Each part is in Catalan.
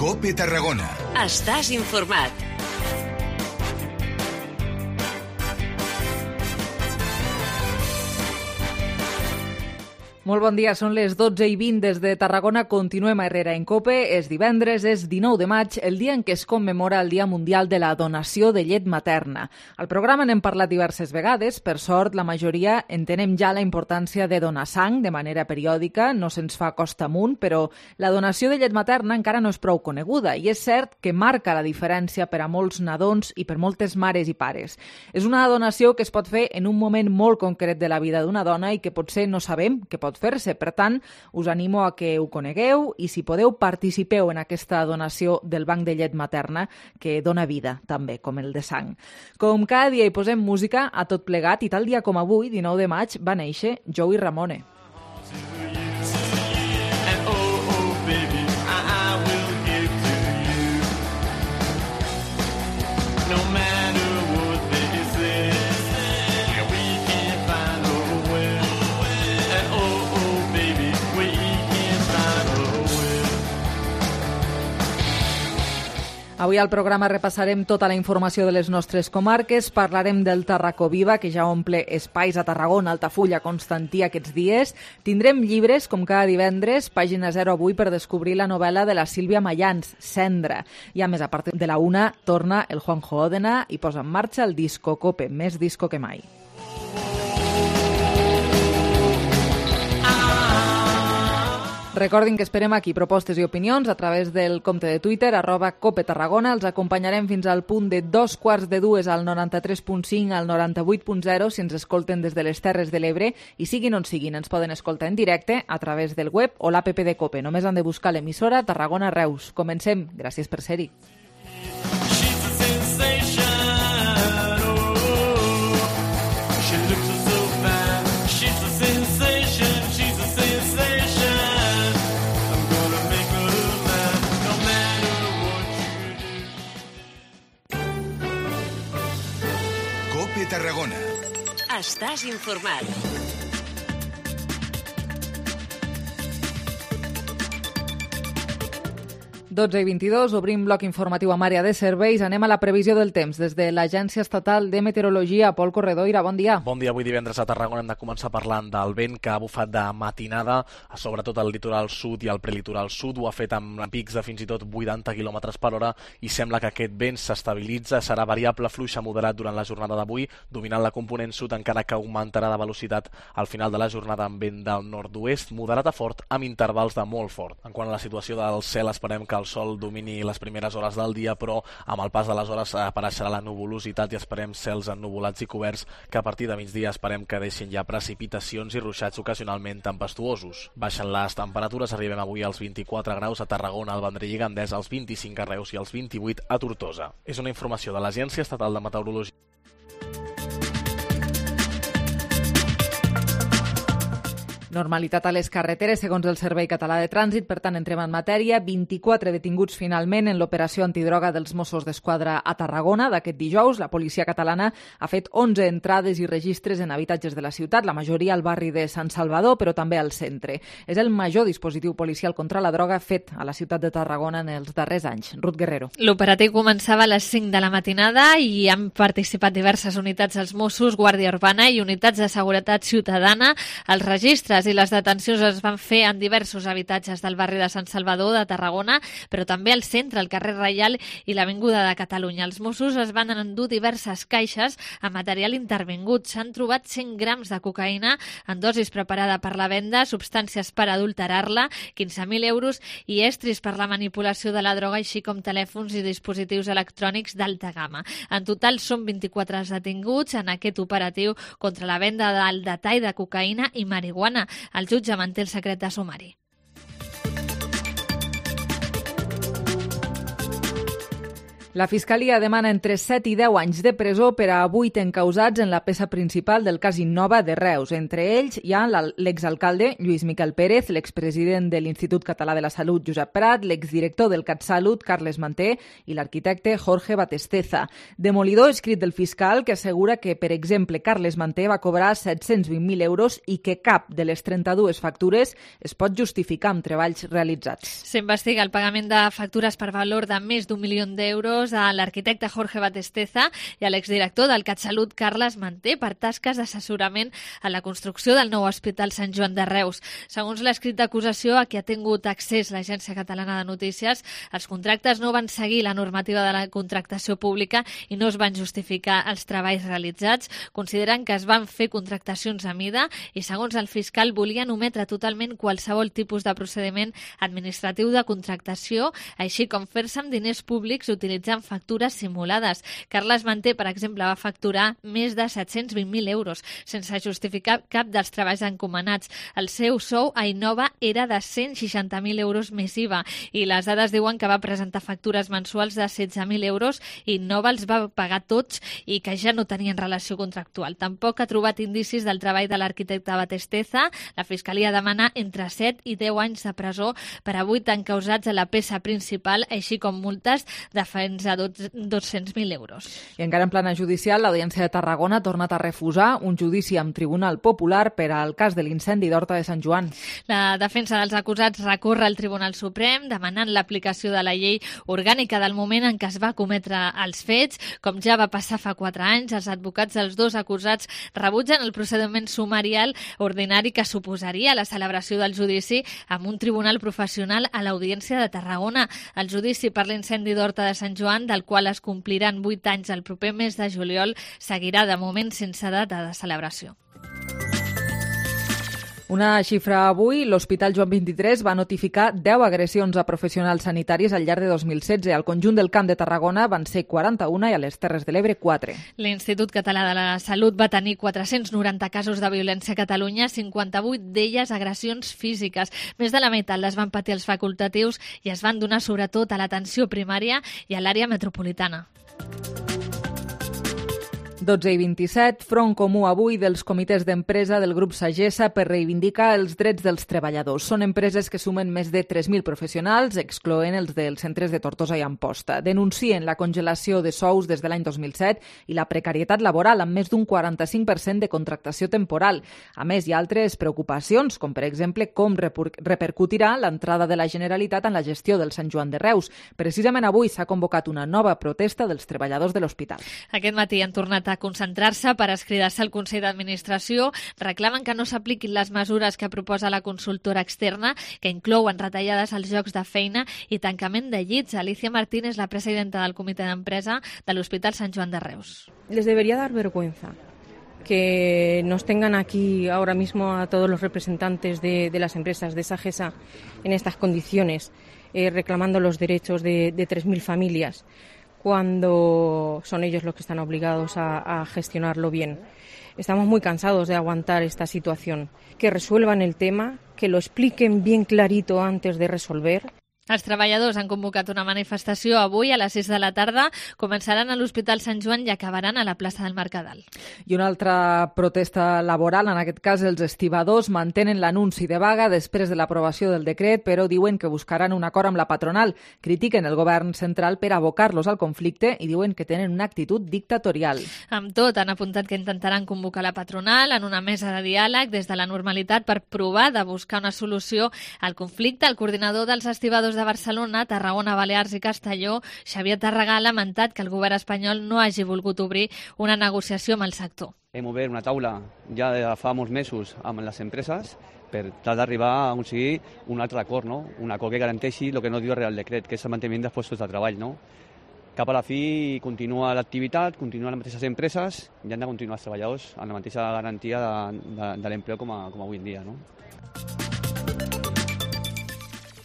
COPE Tarragona. Estàs informat. Molt bon dia, són les 12:20 des de Tarragona. Continuem a Herrera en COPE. És divendres, és 19 de maig, el dia en què es commemora el Dia Mundial de la Donació de Llet Materna. Al programa n'hem parlat diverses vegades. Per sort, la majoria entenem ja la importància de donar sang de manera periòdica. No se'ns fa costa amunt, però la donació de llet materna encara no és prou coneguda i és cert que marca la diferència per a molts nadons i per moltes mares i pares. És una donació que es pot fer en un moment molt concret de la vida d'una dona i que potser no sabem que pot fer-se. Per tant, us animo a que ho conegueu i, si podeu, participeu en aquesta donació del banc de llet materna que dona vida, també, com el de sang. Com cada dia hi posem música a tot plegat i tal dia com avui, 19 de maig, va néixer Joey Ramone. Avui al programa repassarem tota la informació de les nostres comarques, parlarem del Tarracó Viva, que ja omple espais a Tarragona, Altafulla, Constantí aquests dies. Tindrem llibres, com cada divendres, pàgina 0 avui per descobrir la novel·la de la Sílvia Mayans, Cendra. I a més, a part de la 1, torna el Juanjo Òdena i posa en marxa el Disco Cope, més disco que mai. Recordin que esperem aquí propostes i opinions a través del compte de Twitter, @CopeTarragona. Els acompanyarem fins al punt de 2:45 al 93.5, al 98.0, si ens escolten des de les Terres de l'Ebre, i siguin on siguin, ens poden escoltar en directe a través del web o l'app de Cope. Només han de buscar l'emissora Tarragona Reus. Comencem. Gràcies per ser-hi. COPE Tarragona. Estàs informat. 12:22, obrim bloc informatiu amb àrea de serveis. Anem a la previsió del temps. Des de l'Agència Estatal de Meteorologia, Pol Corredoira, bon dia. Bon dia. Avui divendres a Tarragona hem de començar parlant del vent que ha bufat de matinada, sobretot al litoral sud i al prelitoral sud. Ho ha fet amb pics de fins i tot 80 km per hora i sembla que aquest vent s'estabilitza. Serà variable, fluix a moderat durant la jornada d'avui, dominant la component sud, encara que augmentarà de velocitat al final de la jornada amb vent del nord-oest, moderat a fort, amb intervals de molt fort. En quant a la situació del cel, esperem que el sol domini les primeres hores del dia, però amb el pas de les hores apareixerà la nuvolositat i esperem cels ennuvolats i coberts que a partir de migdia esperem que deixin ja precipitacions i ruixats ocasionalment tempestuosos. Baixen les temperatures, arribem avui als 24 graus a Tarragona, al Vendrell i Gandès, als 25 a Reus i als 28 a Tortosa. És una informació de l'Agència Estatal de Meteorologia. Normalitat a les carreteres, segons el Servei Català de Trànsit. Per tant, entrem en matèria. 24 detinguts finalment en l'operació antidroga dels Mossos d'Esquadra a Tarragona d'aquest dijous. La policia catalana ha fet 11 entrades i registres en habitatges de la ciutat, la majoria al barri de Sant Salvador, però també al centre. És el major dispositiu policial contra la droga fet a la ciutat de Tarragona en els darrers anys. Ruth Guerrero. L'operatiu començava a les 5 de la matinada i han participat diverses unitats dels Mossos, Guàrdia Urbana i unitats de seguretat ciutadana. Els registres i les detencions es van fer en diversos habitatges del barri de Sant Salvador de Tarragona, però també al centre, al carrer Reial i l'Avinguda de Catalunya. Els Mossos es van endur diverses caixes amb material intervingut. S'han trobat 100 grams de cocaïna en dosis preparada per la venda, substàncies per adulterar-la, 15.000 euros i estris per la manipulació de la droga, així com telèfons i dispositius electrònics d'alta gamma. En total són 24 detinguts en aquest operatiu contra la venda del detall de cocaïna i marihuana. El jutge manté el secret de sumari. La Fiscalia demana entre 7 i 10 anys de presó per a 8 encausats en la peça principal del cas Innova de Reus. Entre ells hi ha l'exalcalde Lluís Miquel Pérez, l'expresident de l'Institut Català de la Salut Josep Prat, l'exdirector del CatSalut Carles Manté i l'arquitecte Jorge Batesteza. Demolidor escrit del fiscal que assegura que, per exemple, Carles Manté va cobrar 720.000 euros i que cap de les 32 factures es pot justificar amb treballs realitzats. S'investiga el pagament de factures per valor de més d'1 milió d'euros a l'arquitecte Jorge Batesteza i a l'exdirector del CatSalut Carles Manté per tasques d'assessorament a la construcció del nou Hospital Sant Joan de Reus. Segons l'escrit d'acusació a què ha tingut accés l'Agència Catalana de Notícies, els contractes no van seguir la normativa de la contractació pública i no es van justificar els treballs realitzats. Consideren que es van fer contractacions a mida i, segons el fiscal, volien ometre totalment qualsevol tipus de procediment administratiu de contractació, així com fer-se amb diners públics utilitzant factures simulades. Carles Manté, per exemple, va facturar més de 720.000 euros sense justificar cap dels treballs encomanats. El seu sou a Innova era de 160.000 euros més IVA i les dades diuen que va presentar factures mensuals de 16.000 euros i Innova els va pagar tots i que ja no tenien relació contractual. Tampoc ha trobat indicis del treball de l'arquitecte Batesteza. La Fiscalia demana entre 7 i 10 anys de presó per a 8 encausats a la peça principal, així com multes de fins a 200.000 euros. I encara en plana judicial, l'Audiència de Tarragona ha tornat a refusar un judici amb Tribunal Popular per al cas de l'incendi d'Horta de Sant Joan. La defensa dels acusats recorre al Tribunal Suprem demanant l'aplicació de la llei orgànica del moment en què es va cometre els fets. Com ja va passar fa 4 anys, els advocats dels dos acusats rebutgen el procediment sumarial ordinari que suposaria la celebració del judici amb un tribunal professional a l'Audiència de Tarragona. El judici per l'incendi d'Horta de Sant Joan, del qual es compliran 8 anys el proper mes de juliol, seguirà de moment sense data de celebració. Una xifra avui, l'Hospital Joan 23 va notificar 10 agressions a professionals sanitaris al llarg de 2016. Al conjunt del Camp de Tarragona van ser 41 i a les Terres de l'Ebre 4. L'Institut Català de la Salut va tenir 490 casos de violència a Catalunya, 58 d'elles agressions físiques. Més de la meitat les van patir els facultatius i es van donar sobretot a l'atenció primària i a l'àrea metropolitana. 12 i 27, front comú avui dels comitès d'empresa del grup Sagessa per reivindicar els drets dels treballadors. Són empreses que sumen més de 3.000 professionals, excloent els dels centres de Tortosa i Amposta. Denuncien la congelació de sous des de l'any 2007 i la precarietat laboral amb més d'un 45% de contractació temporal. A més, hi ha altres preocupacions, com per exemple com repercutirà l'entrada de la Generalitat en la gestió del Sant Joan de Reus. Precisament avui s'ha convocat una nova protesta dels treballadors de l'hospital. Aquest matí han tornat a concentrar-se per escridar-se al Consell d'Administració. Reclamen que no s'apliquin les mesures que proposa la consultora externa, que inclouen retallades als llocs de feina i tancament de llits. Alicia Martínez, la presidenta del comitè d'empresa de l'Hospital Sant Joan de Reus. Les debería dar vergüenza que nos tengan aquí ahora mismo a todos los representantes de las empresas de Sagessa en estas condiciones, reclamando los derechos de 3.000 familias. Cuando son ellos los que están obligados a gestionarlo bien. Estamos muy cansados de aguantar esta situación. Que resuelvan el tema, que lo expliquen bien clarito antes de resolver. Els treballadors han convocat una manifestació avui a les 6 de la tarda. Començaran a l'Hospital Sant Joan i acabaran a la plaça del Mercadal. I una altra protesta laboral, en aquest cas els estibadors, mantenen l'anunci de vaga després de l'aprovació del decret, però diuen que buscaran un acord amb la patronal. Critiquen el govern central per abocar-los al conflicte i diuen que tenen una actitud dictatorial. Amb tot, han apuntat que intentaran convocar la patronal en una mesa de diàleg des de la normalitat per provar de buscar una solució al conflicte. El coordinador dels estibadors de Barcelona, Tarragona, Balears i Castelló, Xavier Tàrrega, ha lamentat que el govern espanyol no hagi volgut obrir una negociació amb el sector. Hem obert una taula ja de fa molts mesos amb les empreses per tal d'arribar a aconseguir un altre acord, no? Un acord que garanteixi el que no diu el Real Decret, que és el manteniment dels puestos de treball. No? Cap a la fi continua l'activitat, continuen les mateixes empreses i han de continuar els treballadors amb la mateixa garantia de l'empleo com avui en dia. No?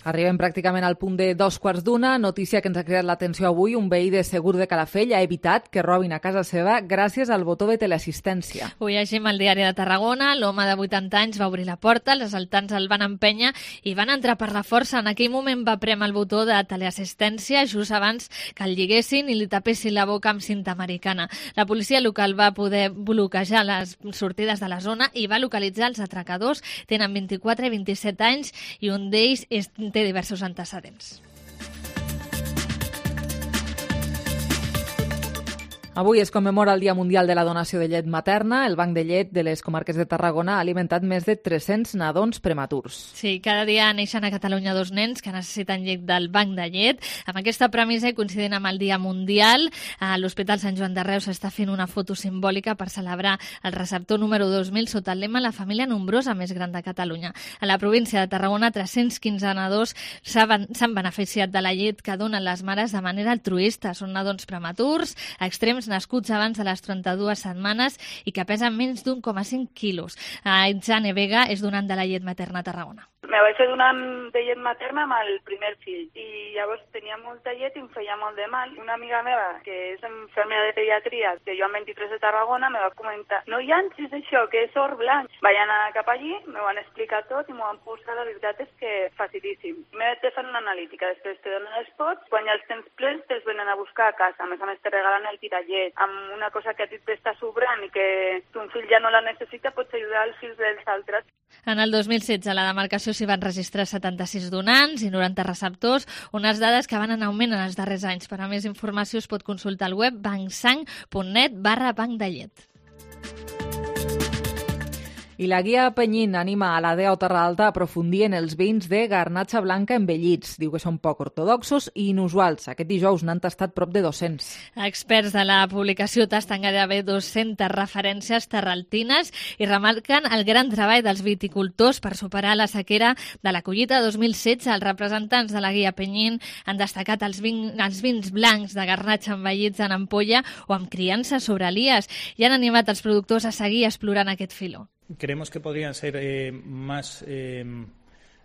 Arribem pràcticament al punt de 2:15. Notícia que ens ha creat l'atenció avui. Un veí de Segur de Calafell ha evitat que robin a casa seva gràcies al botó de teleassistència. Ho llegim al diari de Tarragona. L'home de 80 anys va obrir la porta, els assaltants el van empènyer i van entrar per la força. En aquell moment va prémer el botó de teleassistència just abans que el lliguessin i li tapessin la boca amb cinta americana. La policia local va poder bloquejar les sortides de la zona i va localitzar els atracadors. Tenen 24 i 27 anys i un d'ells té diversos antecedents. Avui es commemora el Dia Mundial de la Donació de Llet Materna. El Banc de Llet de les comarques de Tarragona ha alimentat més de 300 nadons prematurs. Sí, cada dia neixen a Catalunya 2 nens que necessiten llet del Banc de Llet. Amb aquesta premissa i coincidint amb el Dia Mundial, a l'Hospital Sant Joan de Reus s'està fent una foto simbòlica per celebrar el receptor número 2000 sota el lema La família nombrosa més gran de Catalunya. A la província de Tarragona, 315 nadons s'han beneficiat de la llet que donen les mares de manera altruista. Són nadons prematurs, extrems, nascuts abans de les 32 setmanes i que pesen menys d'1,5 quilos. Itzane Vega és donant de la llet materna a Tarragona. Me vaig fer donant de llet materna amb el primer fill i llavors tenia molta llet i em feia molt de mal. Una amiga meva, que és infermera de pediatria, que jo amb 23 de Tarragona, me va comentar: no llancis això, que és or blanc. Vaig anar cap allí, me van explicar tot i m'ho van posar. La veritat és que facilíssim. Me vaig fer una analítica, després te donen els pots, quan ja els tens plens te'ls venen a buscar a casa. A més te regalen el tirallet. Amb una cosa que a ti t'està sobrant i que ton fill ja no la necessita, pots ajudar els fills dels altres. En el 2016 a la demarcació s'hi van registrar 76 donants i 90 receptors, unes dades que van en augment en els darrers anys. Per a més informació es pot consultar al web bancsang.net/banc de llet. I la guia Penyín anima a la DEA Terra Alta a aprofundir en els vins de garnatxa blanca envellits. Diu que són poc ortodoxos i inusuals. Aquest dijous n'han tastat prop de 200. Experts de la publicació tasten gairebé 200 referències terraltines i remarquen el gran treball dels viticultors per superar la sequera de la collita 2016. Els representants de la guia Penyín han destacat els vins blancs de garnatxa envellits en ampolla o amb criança sobre elies i han animat els productors a seguir explorant aquest filó. Creemos que podrían ser más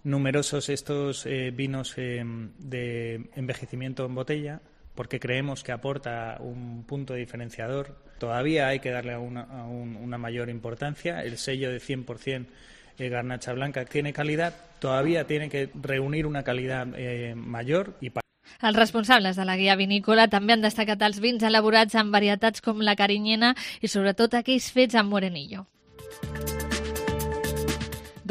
numerosos estos vinos de envejecimiento en botella, porque creemos que aporta un punto diferenciador. Todavía hay que darle una mayor importancia. El sello de 100% garnacha blanca tiene calidad, todavía tiene que reunir una calidad mayor y Els responsables de la guia vinícola també han destacat els vins elaborats amb varietats com la carinyena i sobretot aquells fets amb morenillo.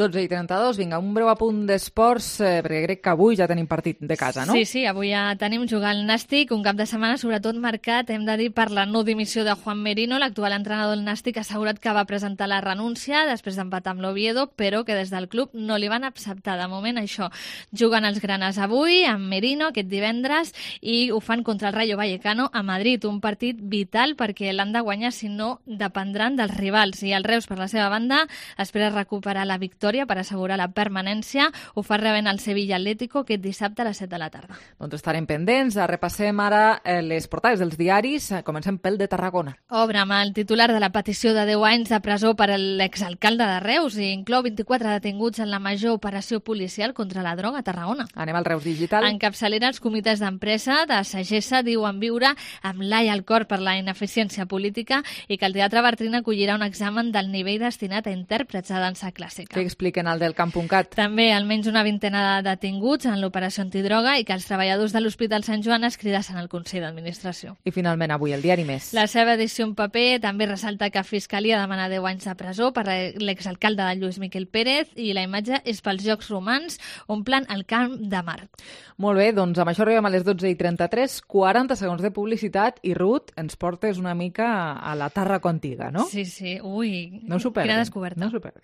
12:32, vinga, un breu apunt d'esports, perquè crec que avui ja tenim partit de casa, no? Sí, avui ja tenim jugar al Nàstic, un cap de setmana sobretot marcat, hem de dir, per la no dimissió de Juan Merino. L'actual entrenador del Nàstic ha assegurat que va presentar la renúncia després d'empatar amb l'Oviedo, però que des del club no li van acceptar. De moment això, juguen els granes avui amb Merino aquest divendres i ho fan contra el Rayo Vallecano a Madrid, un partit vital perquè l'han de guanyar, si no dependran dels rivals. I el Reus, per la seva banda, espera recuperar la victòria per assegurar la permanència. Ho fa rebent el Sevilla Atlético aquest dissabte a les 7 de la tarda. Doncs estarem pendents. Repassem ara les portades dels diaris. Comencem pel de Tarragona. Obre amb el titular de la petició de 10 anys de presó per a l'exalcalde de Reus i inclou 24 detinguts en la major operació policial contra la droga a Tarragona. Anem al Reus Digital. En capçalera, els comitès d'empresa de Sagessa diuen viure amb l'ai al cor per la ineficiència política i que el Teatre Bartrina acollirà un examen del nivell destinat a intèrprets de dansa clàssica. Què expliquen al del Camp.cat? També almenys una vintena de detinguts en l'operació antidroga i que els treballadors de l'Hospital Sant Joan es cridassen al Consell d'Administració. I finalment avui el diari Més. La seva edició en paper també ressalta que Fiscalia demana 10 anys de presó per l'exalcalde de Lluís Miquel Pérez i la imatge és pels Jocs Romans, omplen el Camp de Mar. Molt bé, doncs amb això arribem a les 12:33, 40 segons de publicitat i Ruth, ens portes una mica a la Tàrraco antiga, ¿no? Sí. Uy, no s'ho perdin. Quina descoberta. No s'ho perdin.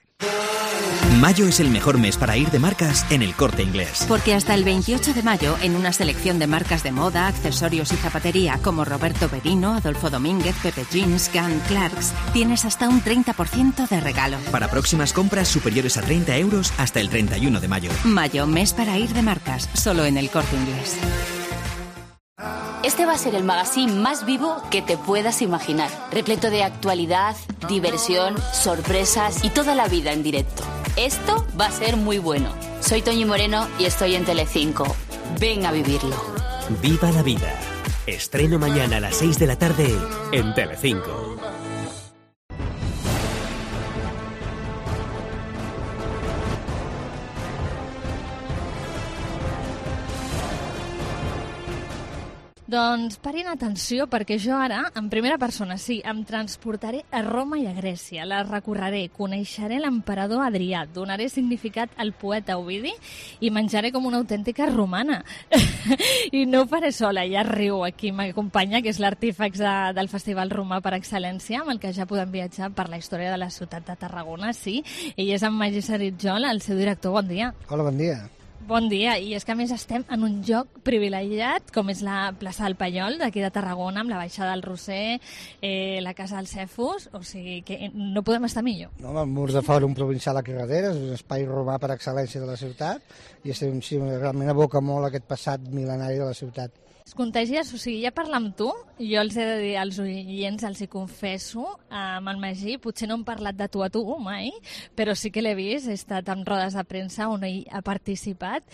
Mayo es el mejor mes para ir de marcas en El Corte Inglés. Porque hasta el 28 de mayo, en una selección de marcas de moda, accesorios y zapatería como Roberto Berino, Adolfo Domínguez, Pepe Jeans, Gunn, Clarks, tienes hasta un 30% de regalo. Para próximas compras superiores a 30 euros hasta el 31 de mayo. Mayo, mes para ir de marcas, solo en El Corte Inglés. Este va a ser el magazine más vivo que te puedas imaginar, repleto de actualidad, diversión, sorpresas y toda la vida en directo. Esto va a ser muy bueno. Soy Toñi Moreno y estoy en Telecinco. Ven a vivirlo. Viva la vida. Estreno mañana a las 6 de la tarde en Telecinco. Doncs parin atenció, perquè jo ara, en primera persona, sí, em transportaré a Roma i a Grècia, la recorreré, coneixeré l'emperador Adrià, donaré significat al poeta Ovidi i menjaré com una autèntica romana. I no ho faré sola, ja riu aquí, m'acompanya, que és l'artífex del Festival Romà per excel·lència, amb el que ja podem viatjar per la història de la ciutat de Tarragona, sí. Ell és en Magí Saritjol, el seu director. Bon dia. Hola, bon dia. Bon dia, i és que a més estem en un lloc privilegiat, com és la plaça del Paiol, d'aquí de Tarragona, amb la baixada del Roser, la casa del Cefus, o sigui que no podem estar millor. No, el Murs de Fòrum Provincial aquí darrere, és un espai romà per excel·lència de la ciutat, i estem, sí, realment aboca molt aquest passat mil·lenari de la ciutat. Es contagies, o sigui, ja parlar amb tu, jo els he de dir als oients, els hi confesso, amb el Magí, potser no hem parlat de tu a tu mai, però sí que l'he vist, he estat en rodes de premsa on ell ha participat,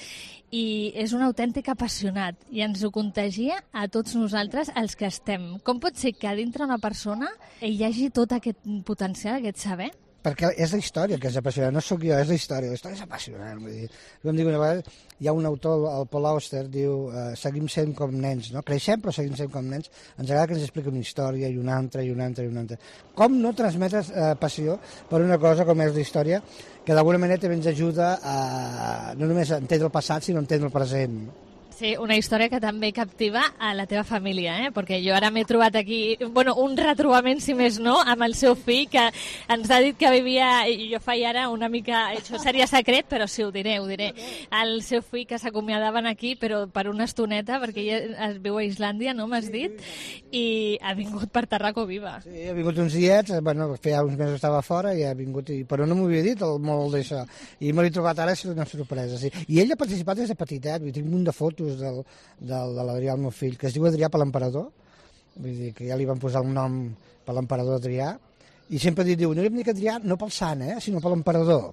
i és un autèntic apassionat, i ens ho contagia a tots nosaltres, els que estem. Com pot ser que dintre una persona hi hagi tot aquest potencial, aquest saber? Perquè és la història que és apassionant, no sóc jo, és la història és apassionant. Vull dir, com dic una vegada, hi ha un autor, el Paul Auster, diu seguim sent com nens, no? Creixem però seguim sent com nens, ens agrada que ens expliqui una història i una altra i una altra i una altra. Com no transmetes passió per una cosa com és la història, que d'alguna manera també ens ajuda a no només a entendre el passat, sinó a entendre el present. Sí, una història que també captiva a la teva família, perquè jo ara m'he trobat aquí, bueno, un retrobament, si més no, amb el seu fill, que ens ha dit que vivia, i jo faig ara una mica, això seria secret, però sí, ho diré. El seu fill que s'acomiadaven aquí, però per una estoneta, perquè ella es viu a Islàndia, no m'has dit, i ha vingut per Tarraco Viva. Sí, ha vingut uns diets, bueno, feia uns mesos estava fora i ha vingut, però no m'ho havia dit el molt d'això, i me l'he trobat ara, és una sorpresa, sí. I ell ha participat des de petitet, tinc un munt de fotos de l'Adrià, el meu fill, que es diu Adrià per l'emperador, vull dir que ja li van posar un nom per l'emperador Adrià, i sempre diu, no li hem dit Adrià no pel sant, sinó per l'emperador,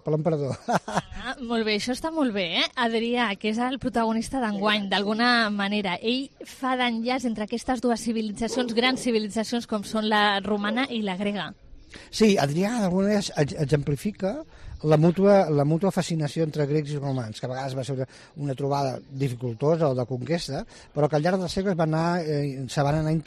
Molt bé, això està molt bé, Adrià, que és el protagonista d'enguany, d'alguna manera, ell fa d'enllaç entre aquestes dues civilitzacions, grans civilitzacions com són la romana i la grega. Sí, Adrià d'alguna manera exemplifica la mútua fascinació entre grecs i romans, que a vegades va ser una trobada dificultosa o de conquesta, però que al llarg dels segles se van anar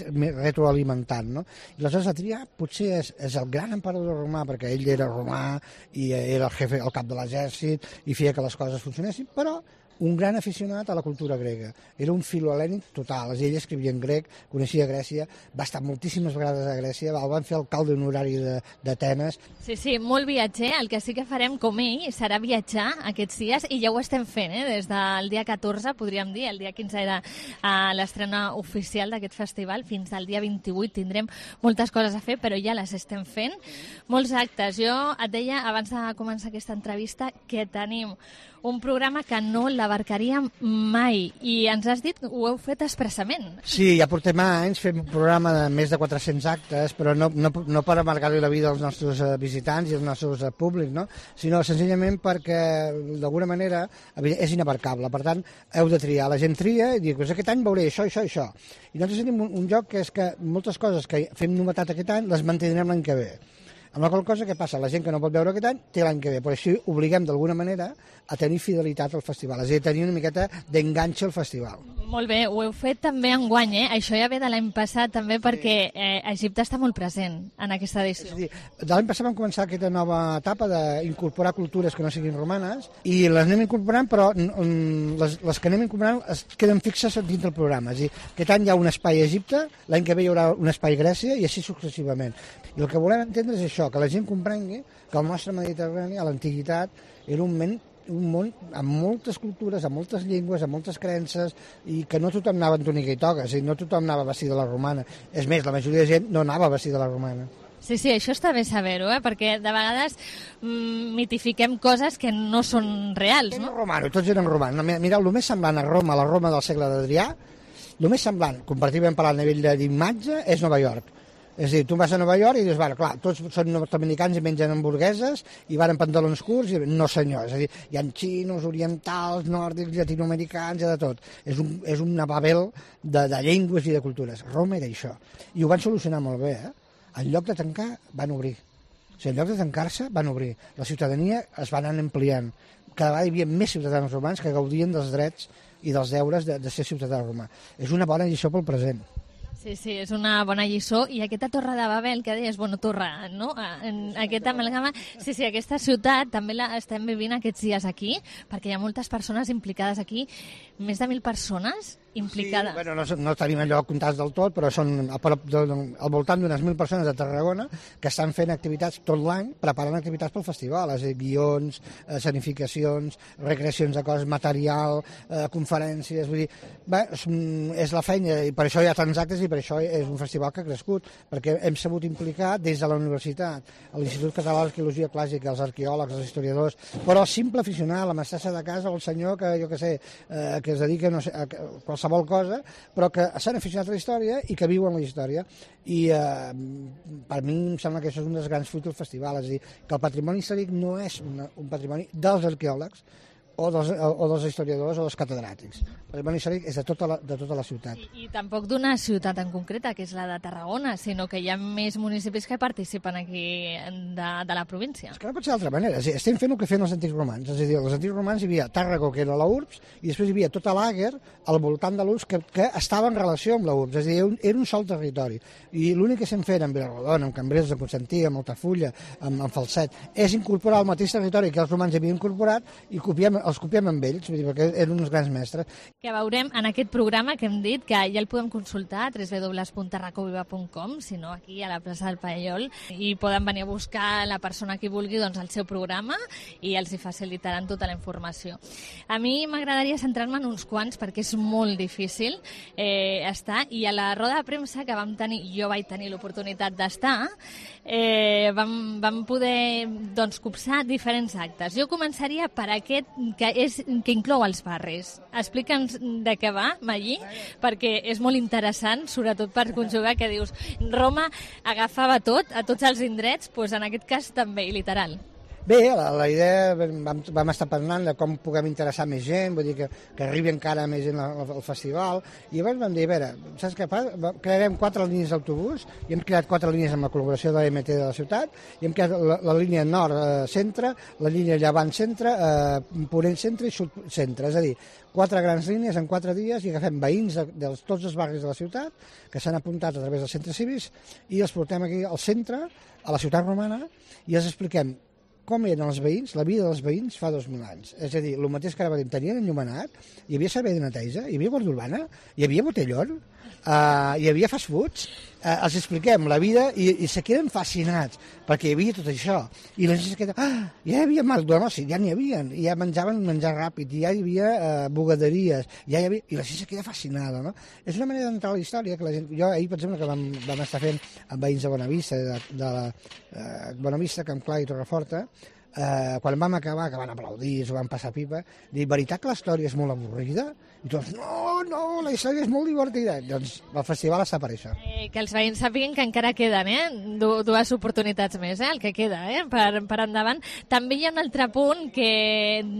retroalimentant, no? I aleshores Adrià potser és el gran emperador romà, perquè ell era romà i era el cap de l'exèrcit i feia que les coses funcionessin, però un gran aficionat a la cultura grega. Era un filolènic total. Ell escrivia en grec, coneixia Grècia, va estar moltíssimes vegades a Grècia, el van fer alcalde honorari d'Atenes. Sí, molt viatger. El que sí que farem com ell serà viatjar aquests dies, i ja ho estem fent, des del dia 14, podríem dir, el dia 15 era l'estrena oficial d'aquest festival, fins al dia 28 tindrem moltes coses a fer, però ja les estem fent. Molts actes. Jo et deia, abans de començar aquesta entrevista, que tenim un programa que no l'abarcaríem mai, i ens has dit que ho heu fet expressament. Sí, ja portem anys fent un programa de més de 400 actes, però no per amargar-li la vida als nostres visitants i als nostres públics, no? Sinó senzillament perquè d'alguna manera és inabarcable. Per tant, heu de triar. La gent tria i diu, aquest any veuré això, això i això. I nosaltres tenim un joc que és que moltes coses que fem novetat aquest any les mantindrem l'any que ve. Amb la qual cosa, què passa? La gent que no pot veure aquest any té l'any que ve, però així obliguem d'alguna manera a tenir fidelitat al festival, és a dir, tenir una miqueta d'enganxe al festival. Molt bé, ho heu fet també enguany, Això ja ve de l'any passat també, perquè Egipte està molt present en aquesta edició. És a dir, de l'any passat vam començar aquesta nova etapa d'incorporar cultures que no siguin romanes, i les anem incorporant, però les que anem incorporant es queden fixes dins del programa. És a dir, aquest any hi ha un espai a Egipte, l'any que ve hi haurà un espai a Grècia, i així successivament. I el que volem entendre és això, que la gent comprengui que el nostre Mediterrani, a l'antiguitat, era un món amb moltes cultures, amb moltes llengües, amb moltes creences, i que no tothom anava en túnica i toga, és a dir, no tothom anava vestit de la romana. És més, la majoria de gent no anava vestit de la romana. Sí, això està bé saber-ho, perquè de vegades mitifiquem coses que no són reals, no? Tots eren romanos. Mireu, el més semblant a Roma, la Roma del segle d'Adrià, el més semblant, comparativament per al nivell d'imatge, és Nova York. És a dir, tu vas a Nova York i dius, bueno, clar, tots són nord-americans i mengen hamburgueses i van en pantalons curts, i no senyor, és a dir, hi ha xinos, orientals, nòrdics, llatinoamericans, hi ha de tot. És una babel de llengües i de cultures. Roma era això. I ho van solucionar molt bé, En lloc de tancar, van obrir. O sigui, en lloc de tancar-se, van obrir. La ciutadania es va anar ampliant. Cada vegada hi havia més ciutadans romans que gaudien dels drets i dels deures de ser ciutadà romà. És una bona lliçó pel present. Sí, és una bona lliçó. I aquesta Torre de Babel, que deies, torre, no? Aquesta amalgama... Sí, aquesta ciutat també la estem vivint aquests dies aquí, perquè hi ha moltes persones implicades aquí, més de 1.000 persones implicades. Sí, bueno, no tenim allò comptats del tot, però són al voltant d'unes 1.000 persones de Tarragona que estan fent activitats tot l'any, preparant activitats pel festival, és a dir, guions, escenificacions, recreacions de coses, material, conferències, vull dir, és la feina, i per això hi ha tants actes i per això és un festival que ha crescut, perquè hem sabut implicar des de la universitat, l'Institut Català d'Arqueologia Clàssica, els arqueòlegs, els historiadors, però el simple aficionat, la mestressa de casa o el senyor que, jo què sé, que es dedica a qualsevol cosa, però que s'han aficionat a la història i que viuen la història. I per mi em sembla que això és un dels grans fruits del festival, és a dir, que el patrimoni històric no és un patrimoni dels arqueòlegs, o dels historiadors o dels catedràtics. El patrimoni històric és de tota la ciutat. I tampoc d'una ciutat en concreta, que és la de Tarragona, sinó que hi ha més municipis que participen aquí de la província. És que no pot ser d'altra manera. És a dir, estem fent el que feien els antics romans. És a dir, els antics romans hi havia Tàrraco, que era la urbs, i després hi havia tota l'Àguer al voltant de l'urbs que estava en relació amb la urbs. És a dir, era un sol territori. I l'únic que estem fent amb Vilarodona, amb Cambrils, amb Constantí, amb Altafulla, amb Falset, és incorporar el mateix territori que els romans havien incorporat i els copiem amb ells, vull dir, perquè eren uns grans mestres. Que veurem en aquest programa que hem dit, que ja el podem consultar a www.tarracoviva.com, si no aquí a la plaça del Paiol, i poden venir a buscar la persona que vulgui el seu programa i els hi facilitaran tota la informació. A mi m'agradaria centrar-me en uns quants perquè és molt difícil estar, i a la roda de premsa que vam tenir, jo vaig tenir l'oportunitat d'estar, vam poder copsar diferents actes. Jo començaria per aquest que inclou els barris. Explica'ns de què va, Magí, perquè és molt interessant, sobretot per conjugar que dius Roma agafava tot, a tots els indrets, doncs en aquest cas també, literal. Bé, la idea, vam estar parlant de com puguem interessar més gent, vull dir que arribi encara més gent al festival, i llavors vam dir, a veure, saps què fa? Crearem 4 línies d'autobús, i hem creat 4 línies amb la col·laboració de l'EMT de la ciutat, i hem creat la línia nord-centre, la línia llevant-centre, ponent-centre i sud-centre, és a dir, 4 grans línies en 4 dies, i agafem veïns de tots els barris de la ciutat, que s'han apuntat a través dels centres cívics, i els portem aquí al centre, a la ciutat romana, i els expliquem com eren els veïns, la vida dels veïns fa 2.000 anys. És a dir, el mateix que ara veiem, tenien enllumenat, hi havia servei de neteja, hi havia guàrdia urbana, hi havia botellón, hi havia fast foods, els expliquem la vida i se queden fascinats, perquè hi havia tot això. I la gent se queda, ja hi havia McDonald's, ja n'hi havia, ja menjaven menjar ràpid, ja hi havia bugaderies, i la gent se queda fascinada, no? És una manera d'entrar a la història que la gent... Jo ahir, per exemple, que vam estar fent amb veïns de Bonavista, Bonavista, Camp Clar i Torreforta, quan vam acabar, que van aplaudir, s'ho van passar pipa, dir, veritat que la història és molt avorrida? I tots, no, la història és molt divertida. Doncs el festival està per això. Que els veïns sàpiguen que encara queden, dues oportunitats més, el que queda, per endavant. També hi ha un altre punt que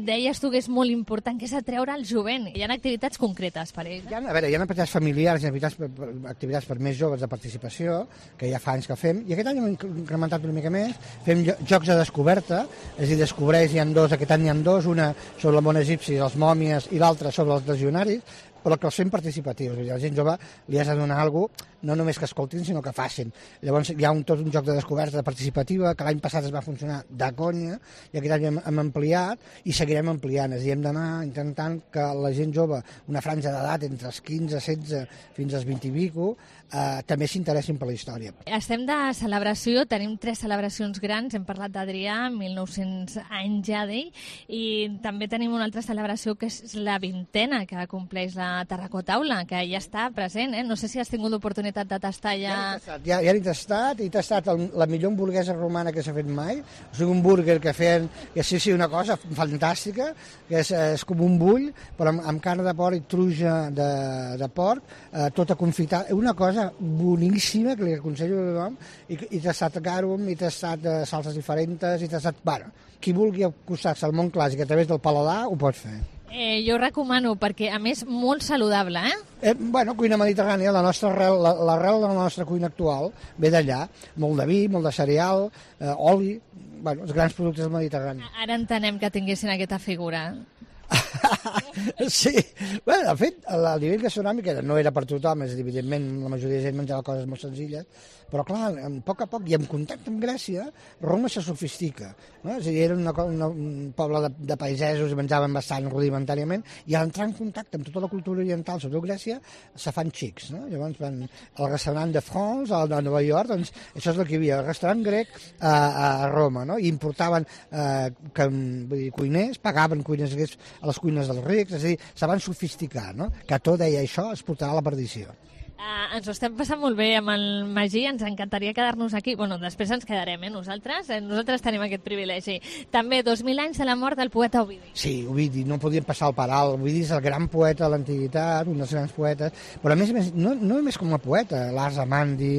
deies tu que és molt important, que és atreure el jovent. Hi ha activitats concretes per ells. Hi ha activitats familiars, hi ha activitats per més joves de participació, que ja fa anys que fem, i aquest any hem incrementat una mica més, fem jocs de descoberta, és a dir, descobreix, hi ha 2, aquest any hi ha 2, una sobre el món egipci, els mòmies, i l'altra sobre els legionaris, però que els fem participatius. A la gent jove li has de donar alguna cosa, no només que escoltin, sinó que facin. Llavors hi ha tot un joc de descoberta participativa, que l'any passat es va funcionar de conya, i aquest any hem ampliat, i seguirem ampliant. És a dir, hem d'anar intentant que la gent jove, una franja d'edat entre els 15, 16, fins als 20 i pico, també s'interessin per la història. Estem de celebració, tenim 3 celebracions grans, hem parlat d'Adrià, 1.900 anys ja d'ell, i també tenim una altra celebració que és la 20a que compleix la Tarracó Taula, que ja està present, No sé si has tingut l'oportunitat de tastar ja... Ja l'he tastat, he tastat la millor hamburguesa romana que s'ha fet mai, o sigui, un burger que feien, que sí, una cosa fantàstica, que és com un bull, però amb carn de porc i truja de porc, tota confitada, una cosa boníssima que li aconsello a tothom, i he tastat garum, he tastat salses diferents, he tastat... Bueno, qui vulgui acostar-se al món clàssic a través del paladar ho pot fer. Jo ho recomano, perquè a més molt saludable, Bueno, cuina mediterrània, l'arrel de la nostra cuina actual ve d'allà, molt de vi, molt de cereal, oli, bueno, els grans productes del Mediterrani. Ara entenem que tinguessin aquesta figura. Sí, bueno, de fet, el nivell gastronòmic no era per tothom, és a dir, evidentment la majoria de gent menjava coses molt senzilles, però clar, a poc i en contacte amb Grècia, Roma se sofistica, no? És a dir, era un poble de pagesos i menjaven bastant rudimentàriament, i a entrar en contacte amb tota la cultura oriental, sobretot Grècia, se fan xics, no? Llavors van al restaurant de France, a Nova York, doncs això és el que hi havia, el restaurant grec a Roma, no? I importaven cuiners, pagaven cuiners grecs a les cuines dels rics, és a dir, se van sofisticar, no? Cató deia això es portarà a la perdició. Ens ho estem passant molt bé amb el Magí, ens encantaria quedar-nos aquí. Bueno, després ens quedarem, nosaltres tenim aquest privilegi. També 2000 anys de la mort del poeta Ovidi. Sí, Ovidi, no podíem passar al per alt. Ovidi és el gran poeta de l'antiguitat, un dels grans poetes, però a més, no només com a poeta, l'Ars Amandi,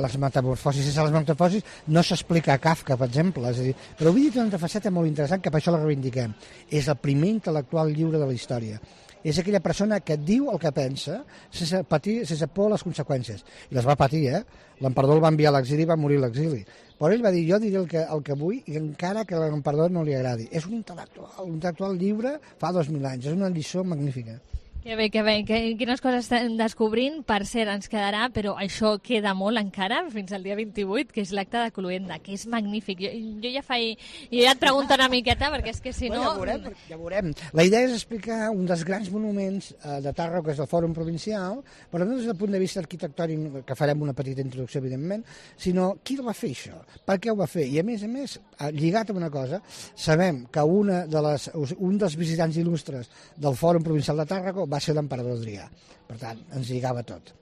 les metamorfosis, sense les metamorfosis no s'explica a Kafka, per exemple. És a dir, però Ovidi té una faceta molt interessant que per això la reivindiquem. És el primer intel·lectual lliure de la història. És aquella persona que diu el que pensa sense patir, sense por a les conseqüències. I les va patir, L'emperador el va enviar a l'exili i va morir a l'exili. Però ell va dir, jo diré el que vull i encara que a l'emperador no li agradi. És un intel·lectual lliure fa 2000 anys. És una lliçó magnífica. Que bé. Quines coses estem descobrint? Per cert, ens quedarà, però això queda molt encara, fins al dia 28, que és l'acte de Cluenda, que és magnífic. Jo ja et pregunto una miqueta, perquè és que si no... Ja veurem. La idea és explicar un dels grans monuments de Tàrrega, que és el Fòrum Provincial, però no des del punt de vista arquitectònic, que farem una petita introducció, evidentment, sinó qui el va fer, això? Per què ho va fer? I a més, lligat amb una cosa, sabem que un dels visitants il·lustres del Fòrum Provincial de Tàrrega va ser l'emperador Adrià. Per tant, ens lligava tot.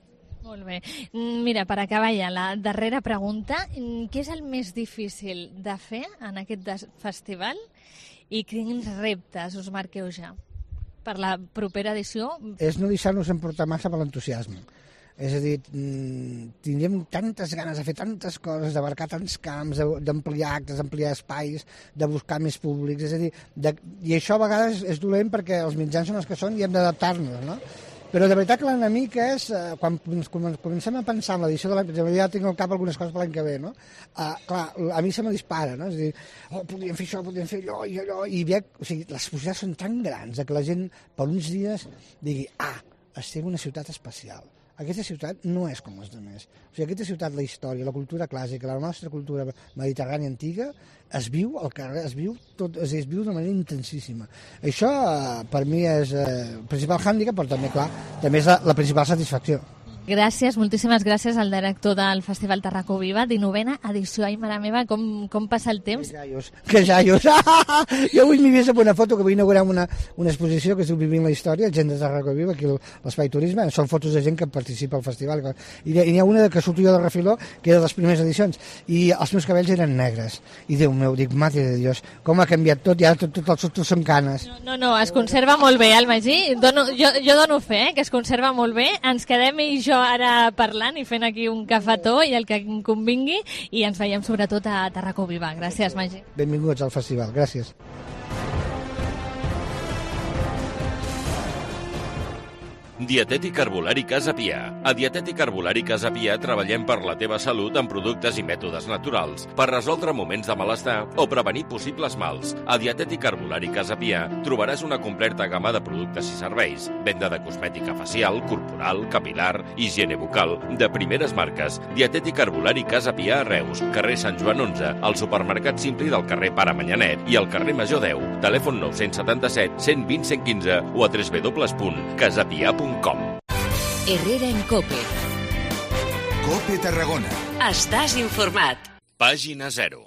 Molt bé. Mira, per acabar ja, la darrera pregunta. Què és el més difícil de fer en aquest festival i quins reptes us marqueu ja per la propera edició? És no deixar-nos emportar massa per l'entusiasme. És a dir, tindríem tantes ganes de fer tantes coses, d'abarcar tants camps, d'ampliar actes, d'ampliar espais, de buscar més públics, és a dir, i això a vegades és dolent perquè els mitjans són els que són i hem d'adaptar-nos, no? Però de veritat que l'enemic és, quan comencem a pensar en l'edició de l'any, ja tinc al cap algunes coses per l'any que ve, no? Clar, a mi se me dispara, no? És a dir, podríem fer això, podríem fer allò, i veig, o sigui, les possibilitats són tan grans que la gent per uns dies digui, estem en una ciutat especial. Aquesta ciutat no és com les altres. O sigui, aquesta ciutat, la història, la cultura clàssica, la nostra cultura mediterrània antiga, es viu al carrer, es viu d'una manera intensíssima. Això, per mi, és el principal hàndicap, però també, clar, també és la principal satisfacció. Gràcies, moltíssimes gràcies al director del Festival Tarracó Viva, 19a edició. Ai, mare meva, com passa el temps? Que jaios! Jo avui m'hi vist amb una foto que vull inaugurar una exposició que es diu Vivint la història, gent de Tarracó Viva, aquí a l'Espai Turisme. Són fotos de gent que participa al festival. I n'hi ha una que surto jo de refiló, que era de les primeres edicions, i els meus cabells eren negres. I Déu meu, dic, mare de Dios, com ha canviat tot, i ara tot són canes. No, es conserva molt bé, el Magí. Jo dono fe, que es conserva molt bé. Ens quedem i jo ara parlant i fent aquí un cafetó i el que em convingui, i ens veiem sobretot a Tarracó Viva. Gràcies, Magí. Benvinguts al festival, gràcies. Dietètic Herbolari Casa Pia. A Dietètic Herbolari Casa Pia treballem per la teva salut amb productes i mètodes naturals, per resoldre moments de malestar o prevenir possibles mals. A Dietètic Herbolari Casa Pia trobaràs una completa gamma de productes i serveis, venda de cosmètica facial, corporal, capilar, higiene bucal, de primeres marques. Dietètic Herbolari Casa Pia a Reus, carrer Sant Joan 11, al supermercat Simpli del carrer Pare Manyanet i al carrer Major 10. Telèfon 977 120 115 o a www.casapia.com. Herrera en COPE. COPE Tarragona. Estàs informat. Pàgina 0.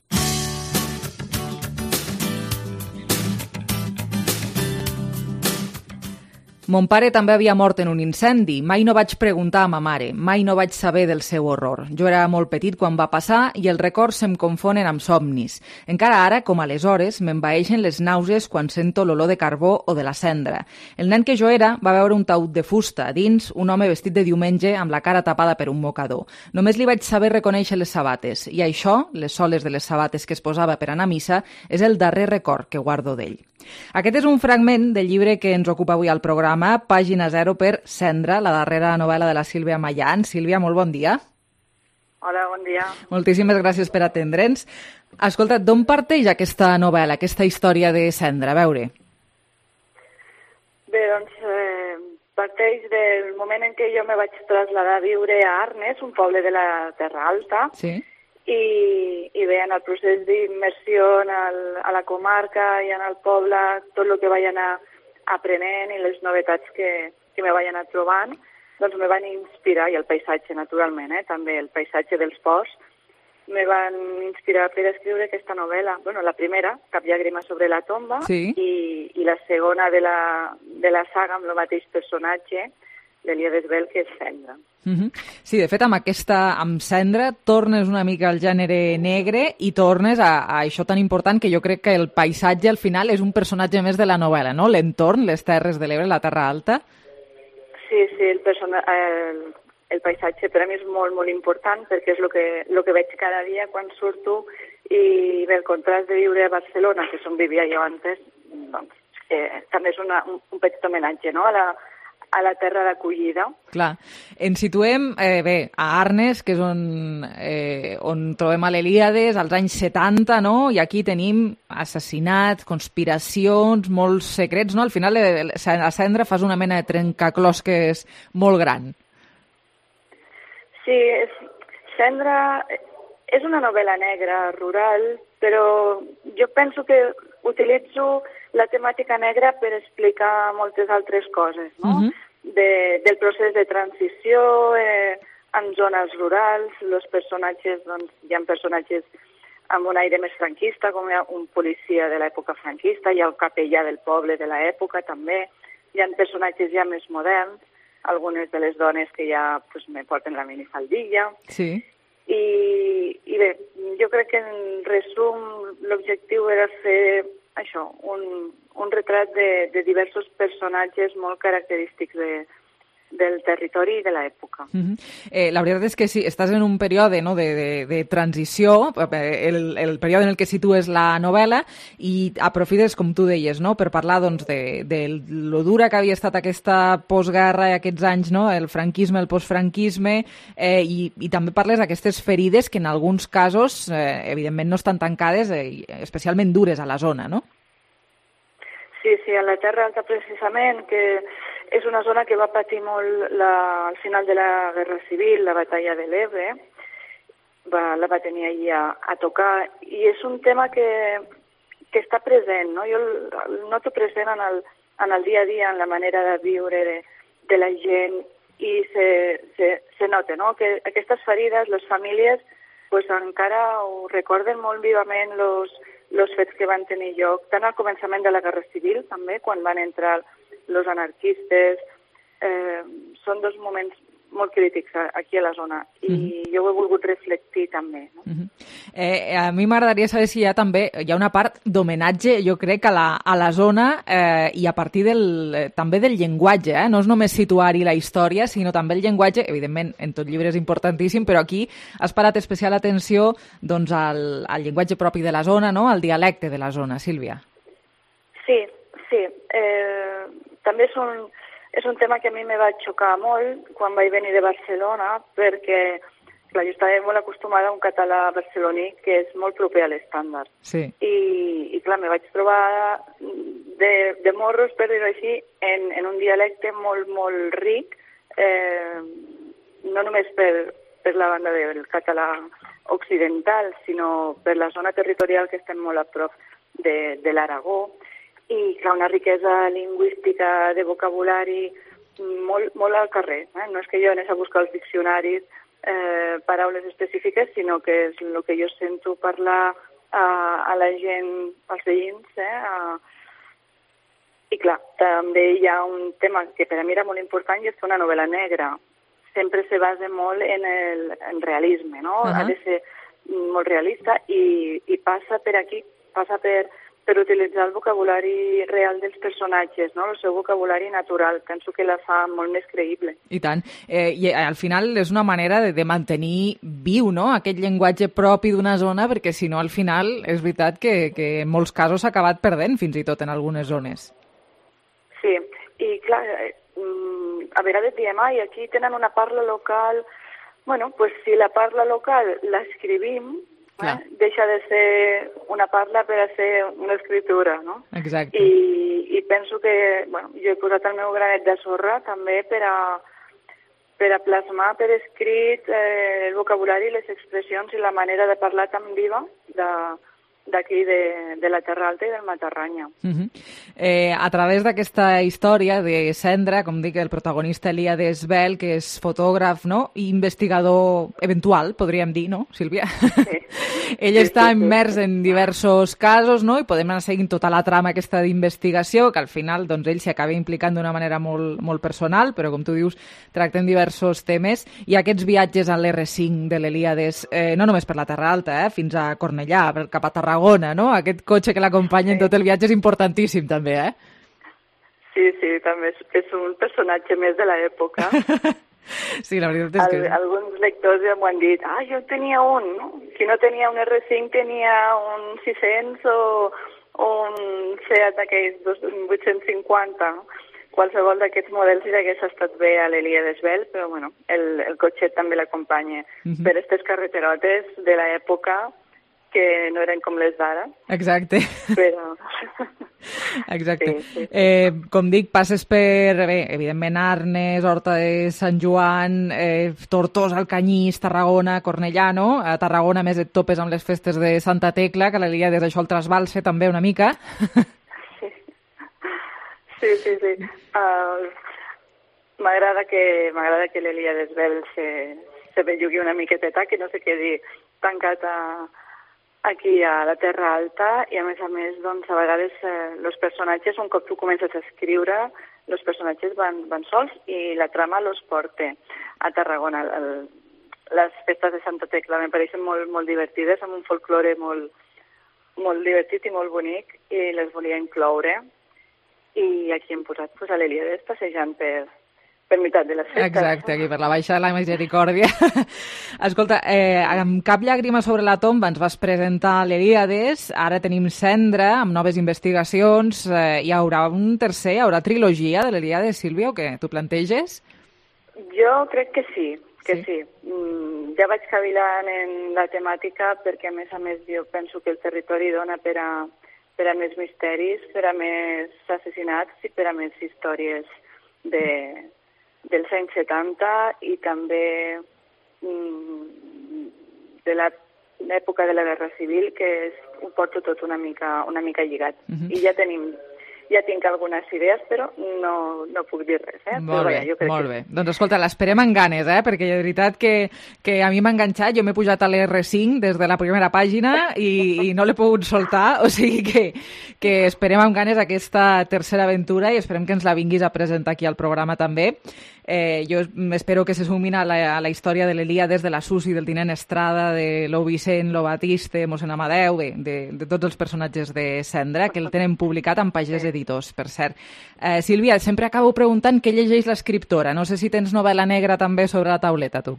Mon pare també havia mort en un incendi. Mai no vaig preguntar a ma mare. Mai no vaig saber del seu horror. Jo era molt petit quan va passar i els records se'm confonen amb somnis. Encara ara, com aleshores, m'envaeixen les nàusees quan sento l'olor de carbó o de la cendra. El nen que jo era va veure un taüt de fusta. A dins, un home vestit de diumenge amb la cara tapada per un mocador. Només li vaig saber reconèixer les sabates. I això, les soles de les sabates que es posava per anar a missa, és el darrer record que guardo d'ell. Aquest és un fragment del llibre que ens ocupa avui al programa, Pàgina 0 per Cendra, la darrera novel·la de la Sílvia Mallán. Sílvia, molt bon dia. Hola, bon dia. Moltíssimes gràcies per atendre'ns. Escolta, d'on parteix aquesta novel·la, aquesta història de Cendra? A veure. Bé, doncs, parteix del moment en què jo me vaig traslladar a viure a Arnes, un poble de la Terra Alta, sí. I bé, en el procés d'immersió a la comarca i en el poble, tot el que vaig anar aprenent i les novetats que me vaig anar trobant, doncs me van inspirar, i el paisatge, naturalment, també el paisatge dels ports, me van inspirar per escriure aquesta novel·la. Bueno, la primera, Cap llàgrima sobre la tomba, sí. i la segona de la saga amb el mateix personatge, l'Elia Desvel, que és Cendra. Sí, de fet, amb Cendra tornes una mica al gènere negre i tornes a això tan important que jo crec que el paisatge al final és un personatge més de la novel·la, no? L'entorn, les Terres de l'Ebre, la Terra Alta. Sí, el paisatge per a mi és molt, molt important perquè és el que veig cada dia quan surto i bé, el contrast de viure a Barcelona, que és on vivia jo antes, doncs, també és un petit homenatge, no?, a la terra d'acollida. Clar. Ens situem, a Arnes, que és on trobem a l'Helíades, als anys 70, no? I aquí tenim assassinats, conspiracions, molts secrets, no? Al final, a Cendra fas una mena de trencaclosques molt gran. Sí, Cendra és una novel·la negra, rural, però jo penso que utilitzo la temàtica negra per explicar moltes altres coses, no? Del procés de transició en zones rurals, els personatges, doncs, hi ha personatges amb un aire més franquista, com hi ha un policia de l'època franquista, hi ha el capellà del poble de l'època també, hi ha personatges ja més moderns, algunes de les dones que ja me porten la minifaldilla. Sí. I bé, jo crec que en resum l'objectiu era fer això, un retrat de diversos personatges molt característics del territori i de l'època. La veritat és que sí, estàs en un període, no, de transició, el període en el que situes la novel·la, i aprofites, com tu deies, no, per parlar doncs, de lo dura que havia estat aquesta postguerra i aquests anys, no, el franquisme, el postfranquisme, i també parles d'aquestes ferides que en alguns casos, evidentment, no estan tancades, especialment dures a la zona, no? Sí, a la Terra Alta precisament, que és una zona que va patir molt al final de la Guerra Civil, la batalla de l'Ebre, la va tenir allà a tocar, i és un tema que està present, no? Jo el noto present en el dia a dia, en la manera de viure de la gent, i se nota, no?, que aquestes ferides, les famílies, pues, encara ho recorden molt vivament els fets que van tenir lloc, tant al començament de la Guerra Civil, també, quan van entrar els anarquistes. Són dos moments molt crítics aquí a la zona, i jo ho he volgut reflectir també. No? A mi m'agradaria saber si també hi ha una part d'homenatge, jo crec, a la zona, i a partir també del llenguatge. No és només situar-hi la història, sinó també el llenguatge. Evidentment, en tot llibre és importantíssim, però aquí has parat especial atenció doncs, al llenguatge propi de la zona, no? Al dialecte de la zona, Sílvia. Sí. També és un tema que a mi me va xocar molt quan vaig venir de Barcelona, perquè clar, jo estava molt acostumada a un català barceloní que és molt proper a l'estàndard. Sí. I clar, me vaig trobar de morros, per dir-ho així, en un dialecte molt, molt ric, no només per la banda del català occidental, sinó per la zona territorial que estem molt a prop de l'Aragó. I, clar, una riquesa lingüística de vocabulari molt al carrer. No és que jo anés a buscar els diccionaris paraules específiques, sinó que és el que jo sento parlar a la gent, als veïns, I clar, també hi ha un tema que per a mi era molt important, i és que una novel·la negra sempre se basa molt en realisme, no? Ha de ser molt realista i passa per aquí, passa per utilitzar el vocabulari real dels personatges, no? El seu vocabulari natural. Penso que la fa molt més creïble. I tant. I al final és una manera de mantenir viu, no?, aquest llenguatge propi d'una zona, perquè si no, al final, és veritat que en molts casos s'ha acabat perdent, fins i tot en algunes zones. Sí, i clar, a vegades diem, aquí tenen una parla local. Bueno, pues si la parla local l'escrivim, deixa de ser una parla per a ser una escritura, no? Exacte. I penso que, bueno, jo he posat el meu granet de sorra també per a plasmar per escrit el vocabulari, les expressions i la manera de parlar tan viva d'aquí, de la Terra Alta i del Matarranya. A través d'aquesta història de Cendra, com dic, el protagonista Elíades Bel, que és fotògraf, no?, i investigador eventual, podríem dir, no, Sílvia? Sí. Ell està immers en diversos casos, no?, i podem anar seguint tota la trama aquesta d'investigació, que al final doncs, ell s'hi acaba implicant d'una manera molt, molt personal, però com tu dius, tracten diversos temes, i aquests viatges a l'R5 de l'Elíades, no només per la Terra Alta, fins a Cornellà, cap a Tarragona, no? Aquest cotxe que l'acompanya en tot el viatge és importantíssim, també, Sí, també és un personatge més de l'època. Sí, la veritat és que... Alguns lectors ja m'ho han dit, jo tenia un, no? Si no tenia un R5, tenia un 600 o un Seat d'aquells 850. Qualsevol d'aquests models i hagués estat bé a l'Elíades Bel, però bueno, el cotxet també l'acompanya per aquestes carreterotes de l'època que no eren com les d'ara. Exacte. Però... Exacte. Sí. Com dic, passes per, evidentment, Arnes, Horta de Sant Joan, Tortosa, Alcanyís, Tarragona, Cornellà, no? A Tarragona, més et topes amb les festes de Santa Tecla, que l'Elíades això el trasbalsa també una mica. Sí. M'agrada que l'Elíades Bel se bellugui una miqueteta, que no se quedi tancat aquí a la Terra Alta, i a més, doncs, a vegades els personatges, un cop tu comences a escriure, els personatges van sols i la trama los porta a Tarragona. Les festes de Santa Tecla me pareixen molt divertides, amb un folklore molt divertit i molt bonic, i les volia incloure. I aquí hem posat a l'Elíades passejant per meitat de les festes. Exacte, aquí per la Baixa de la Misericòrdia. Escolta, amb Cap llàgrima sobre la tomba ens vas presentar l'Elíades, ara tenim Cendra, amb noves investigacions, hi haurà un tercer, hi haurà trilogia de l'Elíades, Sílvia, o què? Tu planteges? Jo crec que sí. Ja vaig cavilant en la temàtica perquè, a més, jo penso que el territori dona per a més misteris, per a més assassinats i per a més històries dels anys 70 i també de l'època de la Guerra Civil, que ho porto tot una mica lligat. I ja tinc algunes idees, però no puc dir res. Molt bé. Doncs escolta, l'esperem amb ganes, perquè de veritat que a mi m'ha enganxat. Jo m'he pujat a l'R5 des de la primera pàgina i no l'he pogut soltar, o sigui que esperem amb ganes aquesta tercera aventura i esperem que ens la vinguis a presentar aquí al programa també. Jo espero que se sumin a la història de l'Elíades, de la Susi, del tinent Estrada, de l'Ou Vicent, l'Ou Batiste, mossèn Amadeu, de tots els personatges de Cendra, que el tenen publicat amb Pagès Editors, per cert. Sílvia, sempre acabo preguntant què llegeix l'escriptora. No sé si tens novel·la negra també sobre la tauleta, tu.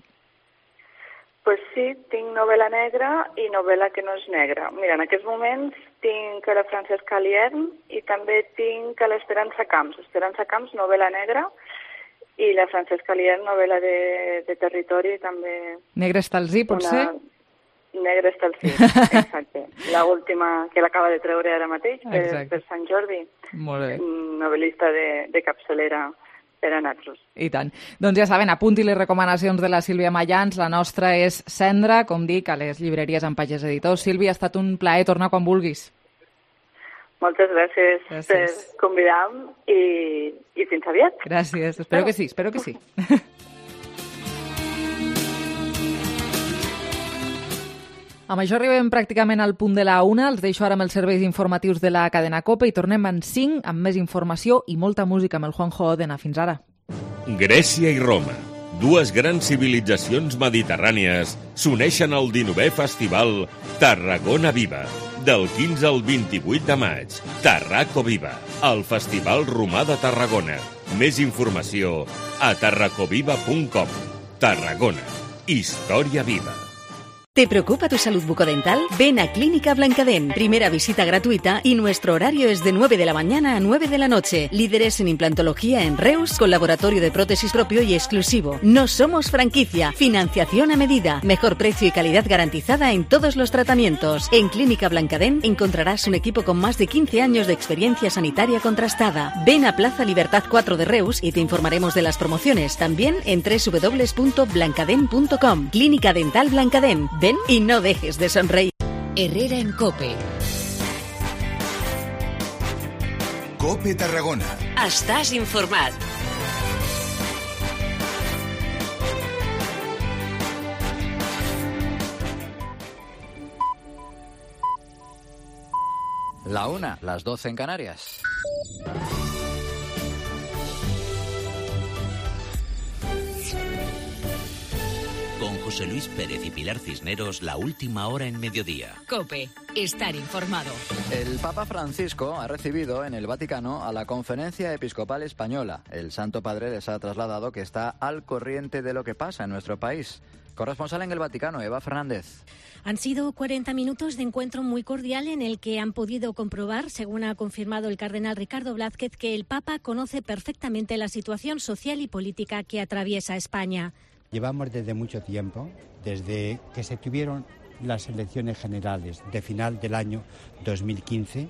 Pues sí, tinc novel·la negra i novel·la que no és negra. Mira, en aquests moments tinc la Francesca Liern i també tinc l'Esperança Camps. Esperança Camps, novel·la negra, i la Francesca Liern, novel·la de territori, també... Negre estalzí, potser? Negre estalzí, exacte. L'última que l'acaba de treure ara mateix per Sant Jordi. Molt bé. Novel·lista de capçalera per a nosaltres. I tant. Doncs ja saben, apunti les recomanacions de la Sílvia Mayans. La nostra és Cendra, com dic, a les llibreries amb Pagès Editors. Sílvia, ha estat un plaer tornar quan vulguis. Moltes gràcies per convidar-me i fins aviat. Gràcies, espero que sí. Amb això arribem pràcticament al punt de la 1. Els deixo ara amb els serveis informatius de la cadena COPE i tornem en 5 amb més informació i molta música amb el Juanjo Odena. Fins ara. Grècia i Roma, dues grans civilitzacions mediterrànies, s'uneixen al 19è Festival Tarragona Viva. Del 15 al 28 de maig, Tarraco Viva, el Festival Romà de Tarragona. Més informació a tarracoviva.com. Tarragona, història viva. ¿Te preocupa tu salud bucodental? Ven a Clínica Blancadent. Primera visita gratuita y nuestro horario es de 9 de la mañana a 9 de la noche. Líderes en implantología en Reus, con laboratorio de prótesis propio y exclusivo. No somos franquicia. Financiación a medida. Mejor precio y calidad garantizada en todos los tratamientos. En Clínica Blancadent encontrarás un equipo con más de 15 años de experiencia sanitaria contrastada. Ven a Plaza Libertad 4 de Reus y te informaremos de las promociones. También en www.blancadent.com. Clínica Dental Blancadent. Ven y no dejes de sonreír. Herrera en COPE. COPE Tarragona. Estàs informat. La 1, las 12 en Canarias. Con José Luis Pérez y Pilar Cisneros, la última hora en mediodía. COPE. Estar informado. El Papa Francisco ha recibido en el Vaticano a la Conferencia Episcopal Española. El Santo Padre les ha trasladado que está al corriente de lo que pasa en nuestro país. Corresponsal en el Vaticano, Eva Fernández. Han sido 40 minutos de encuentro muy cordial en el que han podido comprobar, según ha confirmado el cardenal Ricardo Blázquez, que el Papa conoce perfectamente la situación social y política que atraviesa España. Llevamos desde mucho tiempo, desde que se tuvieron las elecciones generales de final del año 2015,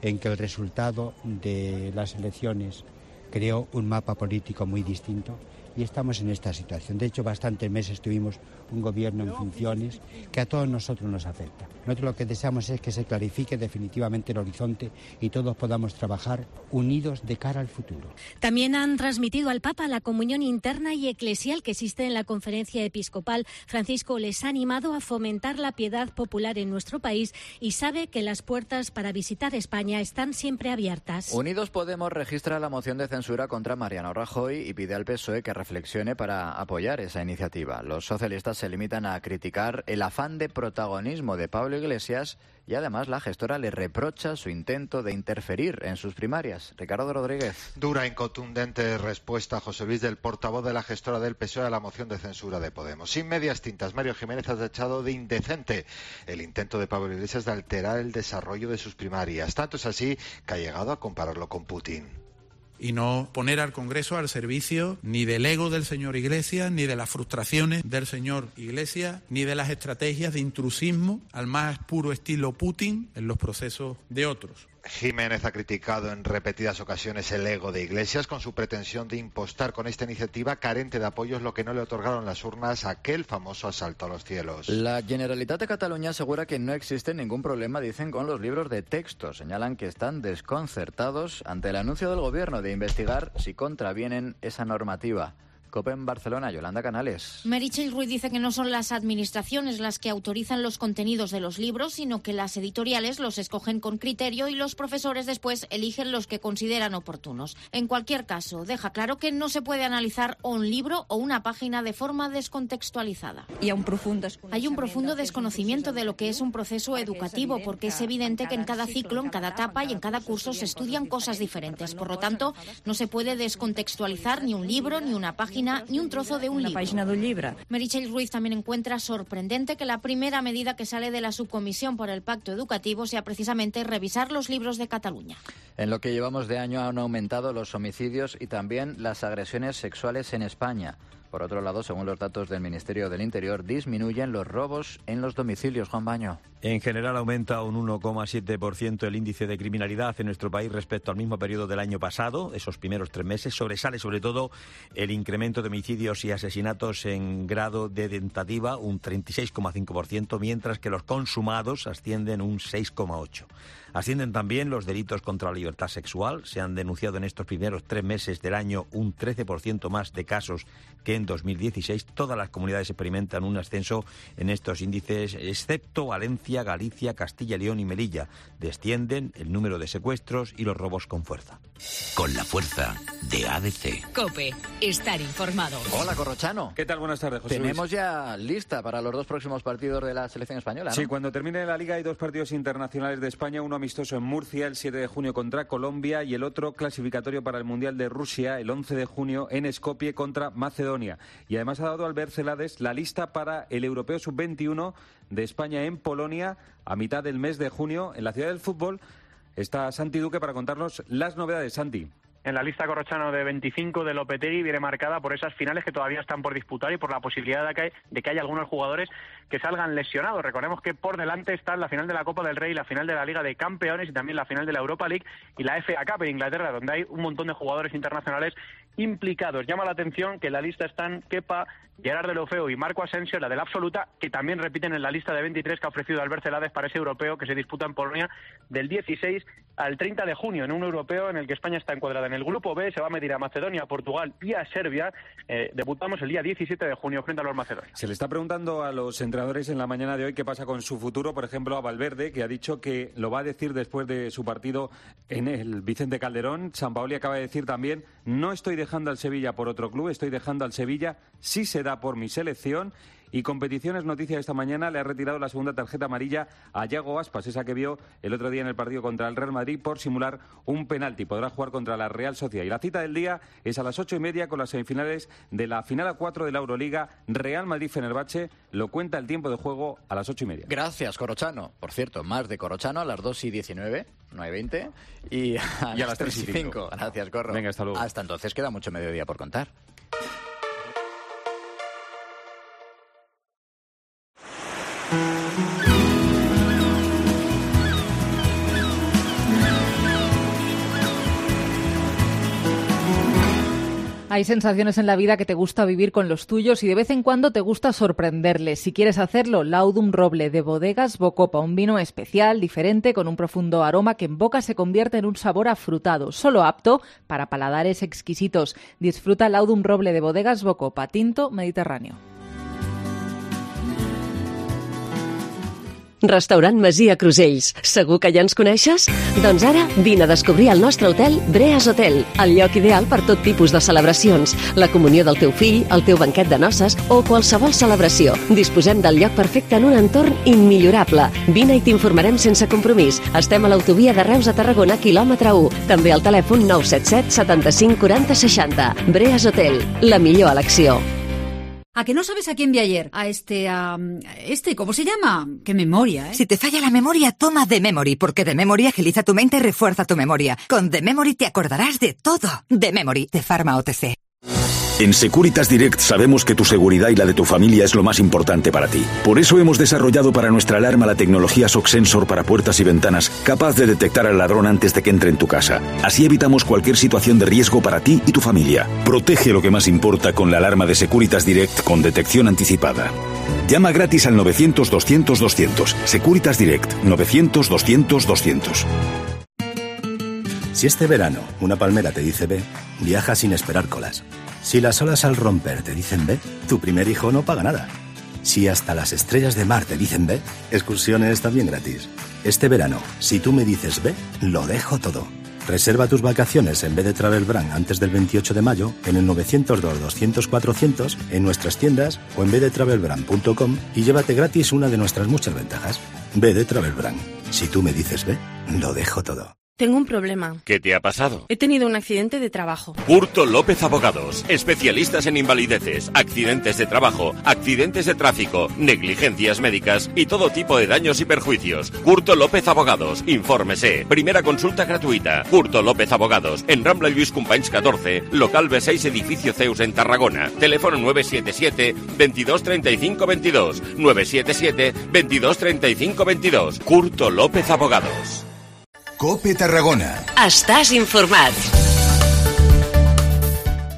en que el resultado de las elecciones creó un mapa político muy distinto, y estamos en esta situación. De hecho, bastantes meses tuvimos un gobierno en funciones que a todos nosotros nos afecta. Nosotros lo que deseamos es que se clarifique definitivamente el horizonte y todos podamos trabajar unidos de cara al futuro. También han transmitido al Papa la comunión interna y eclesial que existe en la Conferencia Episcopal. Francisco les ha animado a fomentar la piedad popular en nuestro país y sabe que las puertas para visitar España están siempre abiertas. Unidos Podemos registra la moción de censura contra Mariano Rajoy y pide al PSOE que reflexione para apoyar esa iniciativa. Los socialistas se limitan a criticar el afán de protagonismo de Pablo Iglesias y además la gestora le reprocha su intento de interferir en sus primarias. Ricardo Rodríguez. Dura y contundente respuesta, José Luis, del portavoz de la gestora del PSOE a la moción de censura de Podemos. Sin medias tintas, Mario Jiménez ha tachado de indecente el intento de Pablo Iglesias de alterar el desarrollo de sus primarias. Tanto es así que ha llegado a compararlo con Putin. Y no poner al Congreso al servicio ni del ego del señor Iglesias, ni de las frustraciones del señor Iglesias, ni de las estrategias de intrusismo al más puro estilo Putin en los procesos de otros. Jiménez ha criticado en repetidas ocasiones el ego de Iglesias con su pretensión de impostar con esta iniciativa carente de apoyos lo que no le otorgaron las urnas, aquel famoso asalto a los cielos. La Generalitat de Cataluña asegura que no existe ningún problema, dicen, con los libros de texto. Señalan que están desconcertados ante el anuncio del Gobierno de investigar si contravienen esa normativa. COPE en Barcelona, Yolanda Canales. Meritxell Ruiz dice que no son las administraciones las que autorizan los contenidos de los libros, sino que las editoriales los escogen con criterio y los profesores después eligen los que consideran oportunos. En cualquier caso, deja claro que no se puede analizar un libro o una página de forma descontextualizada. Hay un profundo desconocimiento de lo que es un proceso educativo, porque es evidente que en cada ciclo, en cada etapa y en cada curso se estudian cosas diferentes. Por lo tanto, no se puede descontextualizar ni un libro, ni una página, ni un trozo de un libro. Meritxell Ruiz también encuentra sorprendente que la primera medida que sale de la Subcomisión por el Pacto Educativo sea precisamente revisar los libros de Cataluña. En lo que llevamos de año han aumentado los homicidios y también las agresiones sexuales en España. Por otro lado, según los datos del Ministerio del Interior, disminuyen los robos en los domicilios. Juan Baño. En general aumenta un 1,7% el índice de criminalidad en nuestro país respecto al mismo periodo del año pasado, esos primeros 3 meses. Sobresale sobre todo el incremento de homicidios y asesinatos en grado de tentativa, un 36,5%, mientras que los consumados ascienden un 6,8%. Ascienden también los delitos contra la libertad sexual. Se han denunciado en estos primeros 3 meses del año un 13% más de casos que en 2016. Todas las comunidades experimentan un ascenso en estos índices, excepto Valencia, Galicia, Castilla y León y Melilla. Descienden el número de secuestros y los robos con fuerza. Con la fuerza de ADC. COPE. Estar informado. Hola, Corrochano. ¿Qué tal? Buenas tardes, José Tenemos Luis. ya lista para los 2 próximos partidos de la selección española, ¿no? Sí, cuando termine la Liga hay 2 partidos internacionales de España, uno amistoso en Murcia el 7 de junio contra Colombia y el otro clasificatorio para el Mundial de Rusia el 11 de junio en Skopje contra Macedonia. Y además ha dado Albert Celades la lista para el Europeo Sub-21 de España en Polonia a mitad del mes de junio. En la ciudad del fútbol está Santi Duque para contarnos las novedades. Santi. En la lista, Corrochano, de 25 de Lopetegui viene marcada por esas finales que todavía están por disputar y por la posibilidad de que haya algunos jugadores que salgan lesionados. Recordemos que por delante están la final de la Copa del Rey, la final de la Liga de Campeones y también la final de la Europa League y la FA Cup en Inglaterra, donde hay un montón de jugadores internacionales implicados. Llama la atención que en la lista están Kepa, Gerard Deulofeu y Marco Asensio, la de la absoluta, que también repiten en la lista de 23 que ha ofrecido Albert Celades para ese europeo que se disputa en Polonia del 16 al 30 de junio, en un europeo en el que España está encuadrada en el grupo B, se va a medir a Macedonia, Portugal y a Serbia. Debutamos el día 17 de junio frente a los macedonios. Se le está preguntando a los entrenadores en la mañana de hoy qué pasa con su futuro, por ejemplo a Valverde, que ha dicho que lo va a decir después de su partido en el Vicente Calderón. Sampaoli acaba de decir también: no estoy dejando al Sevilla por otro club, estoy dejando al Sevilla si se da por mi selección. Y Competiciones, noticia de esta mañana, le ha retirado la segunda tarjeta amarilla a Yago Aspas, esa que vio el otro día en el partido contra el Real Madrid por simular un penalti. Podrá jugar contra la Real Sociedad. Y la cita del día es a las 8:30 con las semifinales de la final a 4 de la Euroliga, Real Madrid-Fenerbahce. Lo cuenta el tiempo de juego a las 8:30. Gracias, Corrochano. Por cierto, más de Corrochano a las 2:19, 9:20 y a las 3:05. Gracias, Corro. Venga, hasta luego. Hasta entonces queda mucho mediodía por contar. Hay sensaciones en la vida que te gusta vivir con los tuyos y de vez en cuando te gusta sorprenderles. Si quieres hacerlo, Laudum Roble de Bodegas Bocopa, un vino especial, diferente, con un profundo aroma que en boca se convierte en un sabor afrutado, solo apto para paladares exquisitos. Disfruta Laudum Roble de Bodegas Bocopa, tinto mediterráneo. Restaurant Masia Crusells. Segur que ja ens coneixes? Doncs ara vine a descobrir el nostre hotel Breas Hotel, el lloc ideal per tot tipus de celebracions, la comunió del teu fill, el teu banquet de noces o qualsevol celebració. Disposem del lloc perfecte en un entorn immillorable. Vine i t'informarem sense compromís. Estem a l'autovia de Reus a Tarragona, quilòmetre 1. També al telèfon 977 75 40 60. Breas Hotel, la millor elecció. ¿A que no sabes a quién vi ayer? A ¿cómo se llama? ¡Qué memoria, eh! Si te falla la memoria, toma The Memory, porque The Memory agiliza tu mente y refuerza tu memoria. Con The Memory te acordarás de todo. The Memory, de Pharma OTC. En Securitas Direct sabemos que tu seguridad y la de tu familia es lo más importante para ti. Por eso hemos desarrollado para nuestra alarma la tecnología Shock Sensor para puertas y ventanas, capaz de detectar al ladrón antes de que entre en tu casa. Así evitamos cualquier situación de riesgo para ti y tu familia. Protege lo que más importa con la alarma de Securitas Direct con detección anticipada. Llama gratis al 900-200-200. Securitas Direct, 900-200-200. Si este verano una palmera te dice ve, viaja sin esperar colas. Si las olas al romper te dicen ve, tu primer hijo no paga nada. Si hasta las estrellas de mar te dicen ve, excursiones también gratis. Este verano, si tú me dices ve, lo dejo todo. Reserva tus vacaciones en BD Travel Brand antes del 28 de mayo en el 902-200-400 en nuestras tiendas o en bdtravelbrand.com y llévate gratis una de nuestras muchas ventajas. BD Travel Brand. Si tú me dices ve, lo dejo todo. Tengo un problema. ¿Qué te ha pasado? He tenido un accidente de trabajo. Curto López Abogados, especialistas en invalideces, accidentes de trabajo, accidentes de tráfico, negligencias médicas y todo tipo de daños y perjuicios. Curto López Abogados, infórmese. Primera consulta gratuita. Curto López Abogados, en Rambla Lluís Companys 14, local B6, edificio Zeus en Tarragona. Teléfono 977 22 35 22. 977 22 35 22. Curto López Abogados. COPE Tarragona. Estàs informat.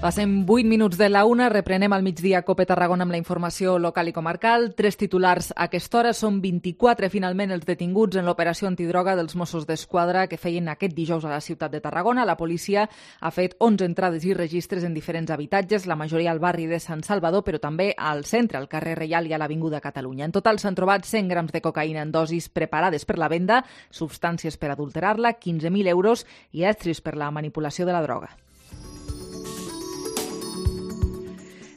Passem 8 minuts de la 1, reprenem al migdia COPE Tarragona amb la informació local i comarcal. 3 titulars a aquesta hora. Són 24 finalment els detinguts en l'operació antidroga dels Mossos d'Esquadra que feien aquest dijous a la ciutat de Tarragona. La policia ha fet 11 entrades i registres en diferents habitatges, la majoria al barri de Sant Salvador, però també al centre, al carrer Reial i a l'Avinguda Catalunya. En total s'han trobat 100 grams de cocaïna en dosis preparades per la venda, substàncies per adulterar-la, 15.000 euros i estris per la manipulació de la droga.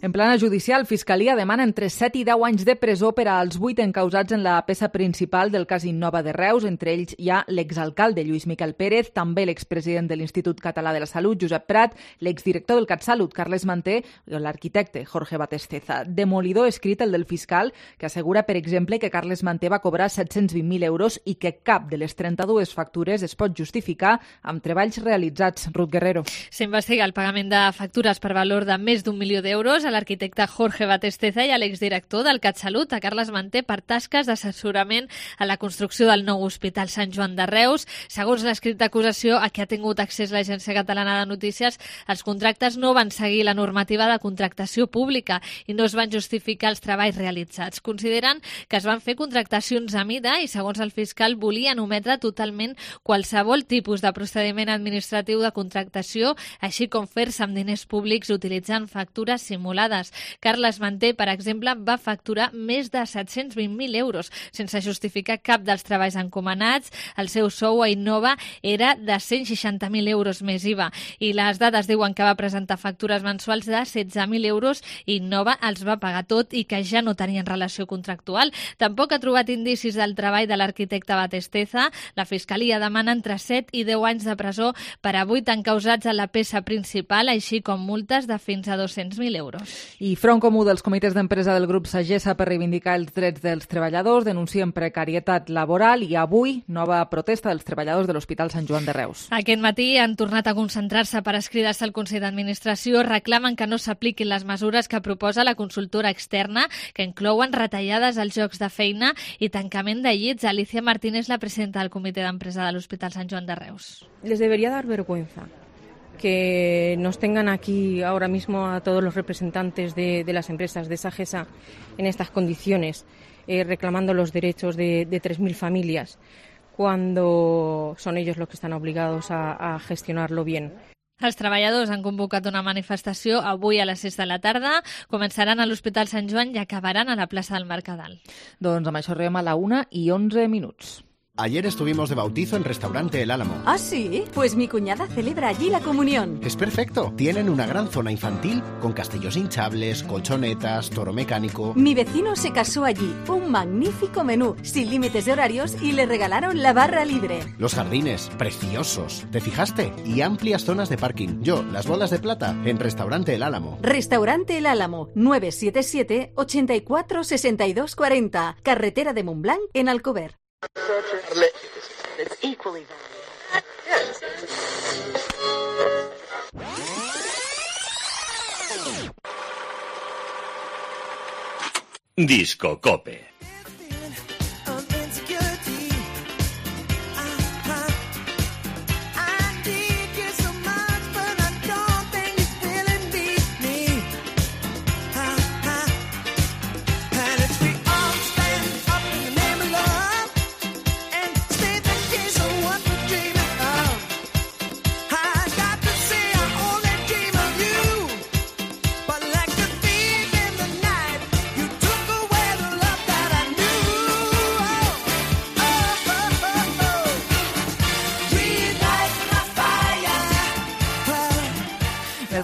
En plana judicial, Fiscalia demana entre 7 i 10 anys de presó per als 8 encausats en la peça principal del cas Innova de Reus. Entre ells hi ha l'exalcalde Lluís Miquel Pérez, també l'expresident de l'Institut Català de la Salut, Josep Prat, l'exdirector del CatSalut, Carles Manté, i l'arquitecte Jorge Batesteza. Demolidor escrit el del fiscal, que assegura, per exemple, que Carles Manté va cobrar 720.000 euros i que cap de les 32 factures es pot justificar amb treballs realitzats. Ruth Guerrero. S'investiga el pagament de factures per valor de més d'1 milió d'euros a l'arquitecte Jorge Batesteza i a l'exdirector del CatSalut, a Carles Manté, per tasques d'assessorament a la construcció del nou Hospital Sant Joan de Reus. Segons l'escrit d'acusació a què ha tingut accés l'Agència Catalana de Notícies, els contractes no van seguir la normativa de contractació pública i no es van justificar els treballs realitzats. Consideren que es van fer contractacions a mida i, segons el fiscal, volien ometre totalment qualsevol tipus de procediment administratiu de contractació, així com fer-se amb diners públics utilitzant factures simulades. Carles Manté, per exemple, va facturar més de 720.000 euros sense justificar cap dels treballs encomanats. El seu sou a Innova era de 160.000 euros més IVA i les dades diuen que va presentar factures mensuals de 16.000 euros i Innova els va pagar tot i que ja no tenien relació contractual. Tampoc ha trobat indicis del treball de l'arquitecte Batesteza. La Fiscalia demana entre 7 i 10 anys de presó per a 8 encausats a la peça principal, així com multes de fins a 200.000 euros. I Front Comú dels comitès d'empresa del grup Sagessa per reivindicar els drets dels treballadors denuncien precarietat laboral i avui nova protesta dels treballadors de l'Hospital Sant Joan de Reus. Aquest matí han tornat a concentrar-se per escridar-se al Consell d'Administració. Reclamen que no s'apliquin les mesures que proposa la consultora externa, que inclouen retallades als llocs de feina i tancament de llits. Alicia Martínez, la presidenta del comitè d'empresa de l'Hospital Sant Joan de Reus. Les debería dar vergüenza que nos tengan aquí ahora mismo a todos los representantes de las empresas de Sagessa en estas condiciones, reclamando los derechos de 3.000 familias, cuando son ellos los que están obligados a gestionarlo bien. Els treballadors han convocat una manifestació avui a les 6 de la tarda. Començaran a l'Hospital Sant Joan i acabaran a la plaça del Mercadal. Doncs amb això arribem a la 1:11. Ayer estuvimos de bautizo en Restaurante El Álamo. ¿Ah, sí? Pues mi cuñada celebra allí la comunión. Es perfecto. Tienen una gran zona infantil con castillos hinchables, colchonetas, toro mecánico. Mi vecino se casó allí. Un magnífico menú, sin límites de horarios y le regalaron la barra libre. Los jardines, preciosos. ¿Te fijaste? Y amplias zonas de parking. Yo, las bodas de plata, en Restaurante El Álamo. Restaurante El Álamo, 977 84 62 40. Carretera de Montblanc, en Alcover. Disco Cope.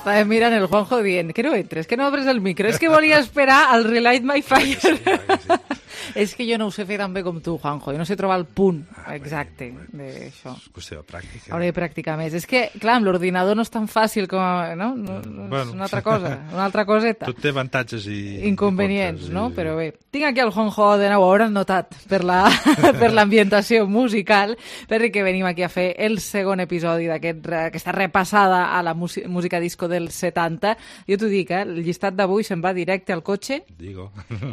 Estava mirant el Juanjo dient que no entres, que no obres el micro, és que volia esperar al Relight My Fire. És que jo no ho sé fer tan bé com tu, Juanjo. Jo no sé trobar el punt exacte d'això. És qüestió de pràctica. Hauré de practicar més. És que, clar, amb l'ordinador no és tan fàcil com... No? És una altra cosa, una altra coseta. Tot té avantatges i inconvenients, no? Però bé, tinc aquí el Juanjo de nou, ho hauran notat per l'ambientació musical, perquè venim aquí a fer el segon episodi d'aquesta repassada a la música disco dels 70. Jo t'ho dic, el llistat d'avui se'n va directe al cotxe. Digo.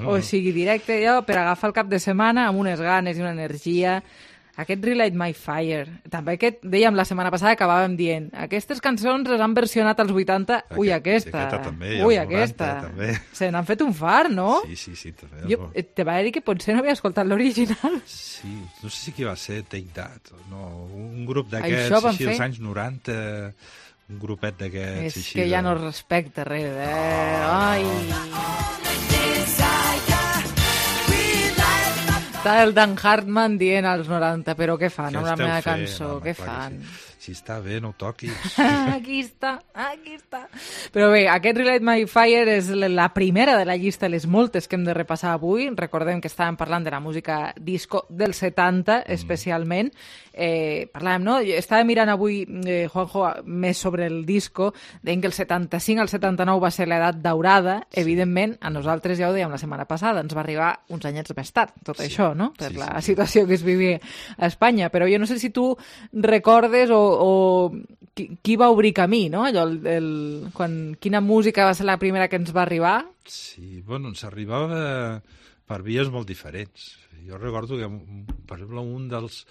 O sigui, directe jo per agafar el cap de setmana amb unes ganes i una energia. Aquest Relight My Fire, també aquest, dèiem la setmana passada, acabàvem dient, aquestes cançons les han versionat als 80, ui, aquesta, també, ui, aquesta. També. Se n'han fet un far, no? Sí, també. Jo te va dir que potser no havia escoltat l'original. Sí, no sé si qui va ser Take That, no, un grup d'aquests, així dels anys 90, un grupet d'aquests. És que ja no respecta res, ai... Està el Dan Hartman dient als 90, però què fan amb la meva cançó? Què fan? Si està bé, no ho toquis. Aquí està. Però bé, aquest Relight My Fire és la primera de la llista de les moltes que hem de repassar avui. Recordem que estàvem parlant de la música disco dels 70, especialment. Parlàvem, no? Estava mirant avui, Juanjo, més sobre el disco, deien que el 75 al 79 va ser l'edat daurada. Evidentment, a nosaltres ja ho dèiem la setmana passada, ens va arribar uns anyets més tard, tot això, no? Per la situació que es vivia a Espanya. Però jo no sé si tu recordes o qui va obrir camí, no? Allò, quina música va ser la primera que ens va arribar? Sí, bueno, ens arribava per vies molt diferents. Jo recordo que, per exemple, un dels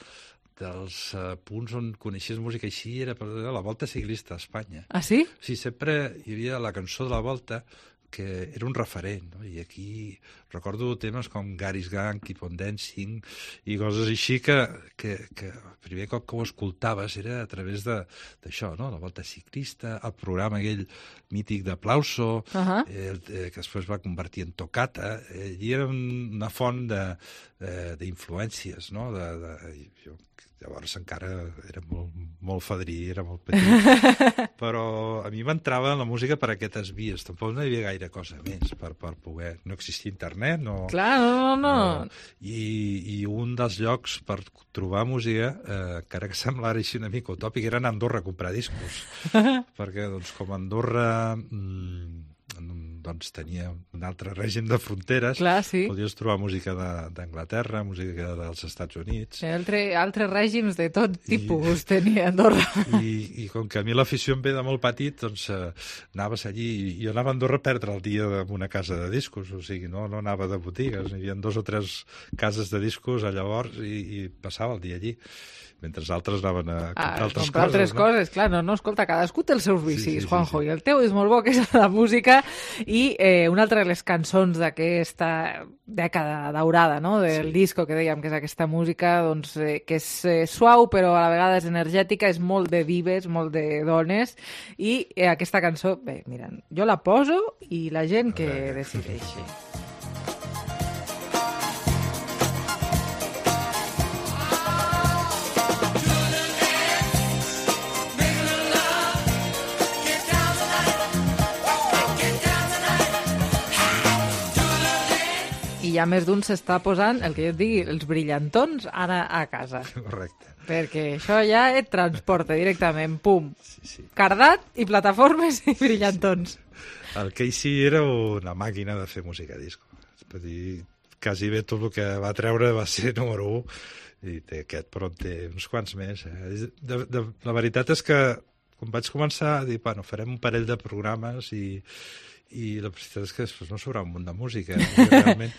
punts on coneixies música així era la Volta Ciclista a Espanya. Ah, sí? Sí, sempre hi havia la cançó de la Volta, que era un referent, no? I aquí recordo temes com Gary's Gang, Keep on Dancing i coses així que el primer cop que ho escoltaves era a través d'això, no? La Volta Ciclista, el programa aquell mític d'Aplauso, que després va convertir en Toccata, i era una font d'influències, no? Jo llavors encara era molt fadrí, era molt petit, però a mi m'entrava en la música per aquestes vies, tampoc no hi havia gaire cosa més per poder, no existia internet, no... Clar, no. I un dels llocs per trobar música, encara que semblara així una mica utòpic, era anar a Andorra a comprar discos, perquè doncs com Andorra... doncs tenia un altre règim de fronteres. Clar, sí. Podies trobar música d'Anglaterra, música dels Estats Units. Altres règims de tot tipus tenia Andorra. I com que a mi l'afició em ve de molt petit, doncs anaves allí, i jo anava a Andorra a perdre el dia en una casa de discos, o sigui, no anava de botigues, hi havia 2 o 3 cases de discos a llavors i passava el dia allí, mentre els altres anaven a comprar altres coses. Clar, no, escolta, cadascú té els seus vicis, Juanjo, i el teu és molt bo, que és la música, i una altra de les cançons d'aquesta dècada daurada, no?, del disco, que dèiem que és aquesta música, doncs, que és suau, però a la vegada és energètica, és molt de dives, molt de dones, i aquesta cançó, bé, mira, jo la poso i la gent que decideixi. I ja més d'un s'està posant, el que jo et digui, els brillantons ara a casa. Correcte. Perquè això ja et transporta directament, pum, cardat i plataformes i brillantons. El Casey era una màquina de fer música disco. És per dir, quasi bé tot el que va treure va ser número 1, i té aquest, però en té uns quants més. La veritat és que quan vaig començar a dir, bueno, farem un parell de programes i la veritat és que després no s'haurà un munt de música. Realment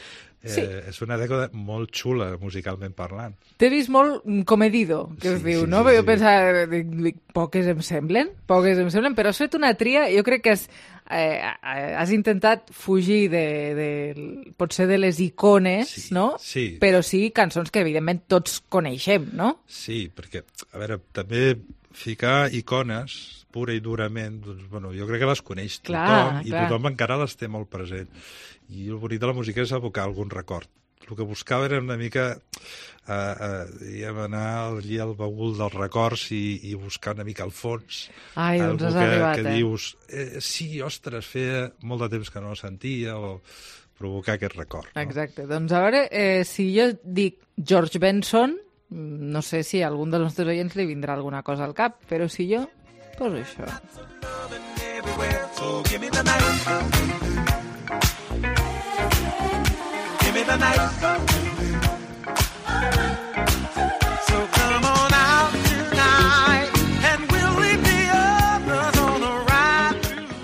és una dècada molt xula, musicalment parlant. T'he vist molt comedido, que es diu, no? Jo pensava, poques em semblen, però has fet una tria, jo crec que has intentat fugir potser de les icones, no? Sí. Però sí cançons que evidentment tots coneixem, no? Sí, perquè, a veure, també ficar icones pura i durament, doncs, bueno, jo crec que les coneix tothom, i tothom encara les té molt present. I el bonic de la música és evocar algun record. El que buscava era una mica anar allí al baúl dels records i buscar una mica al fons. Ai, doncs has arribat, que dius, sí, ostres, feia molt de temps que no la sentia, provocar aquest record. No? Exacte. Doncs a veure, si jo dic George Benson, no sé si a algun dels nostres oients li vindrà alguna cosa al cap, però si jo poso això. So give me the night. Give me the night. So come on out tonight and we'll leave the others on a ride.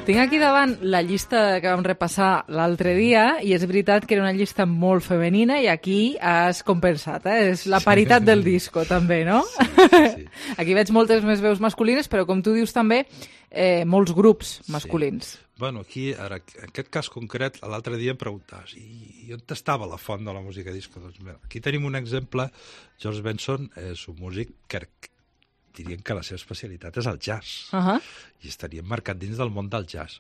Tinc aquí davant la llista que vam repassar l'altre dia i és veritat que era una llista molt femenina i aquí has compensat, És la paritat del disco, també, no? Sí. Aquí veig moltes més veus masculines, però com tu dius també, molts grups masculins. Sí. Bueno, aquí, ara, en aquest cas concret, l'altre dia em preguntaves i on estava la font de la música disco? Doncs mira, aquí tenim un exemple. George Benson és un músic que dirien que la seva especialitat és el jazz. I estaria marcat dins del món del jazz.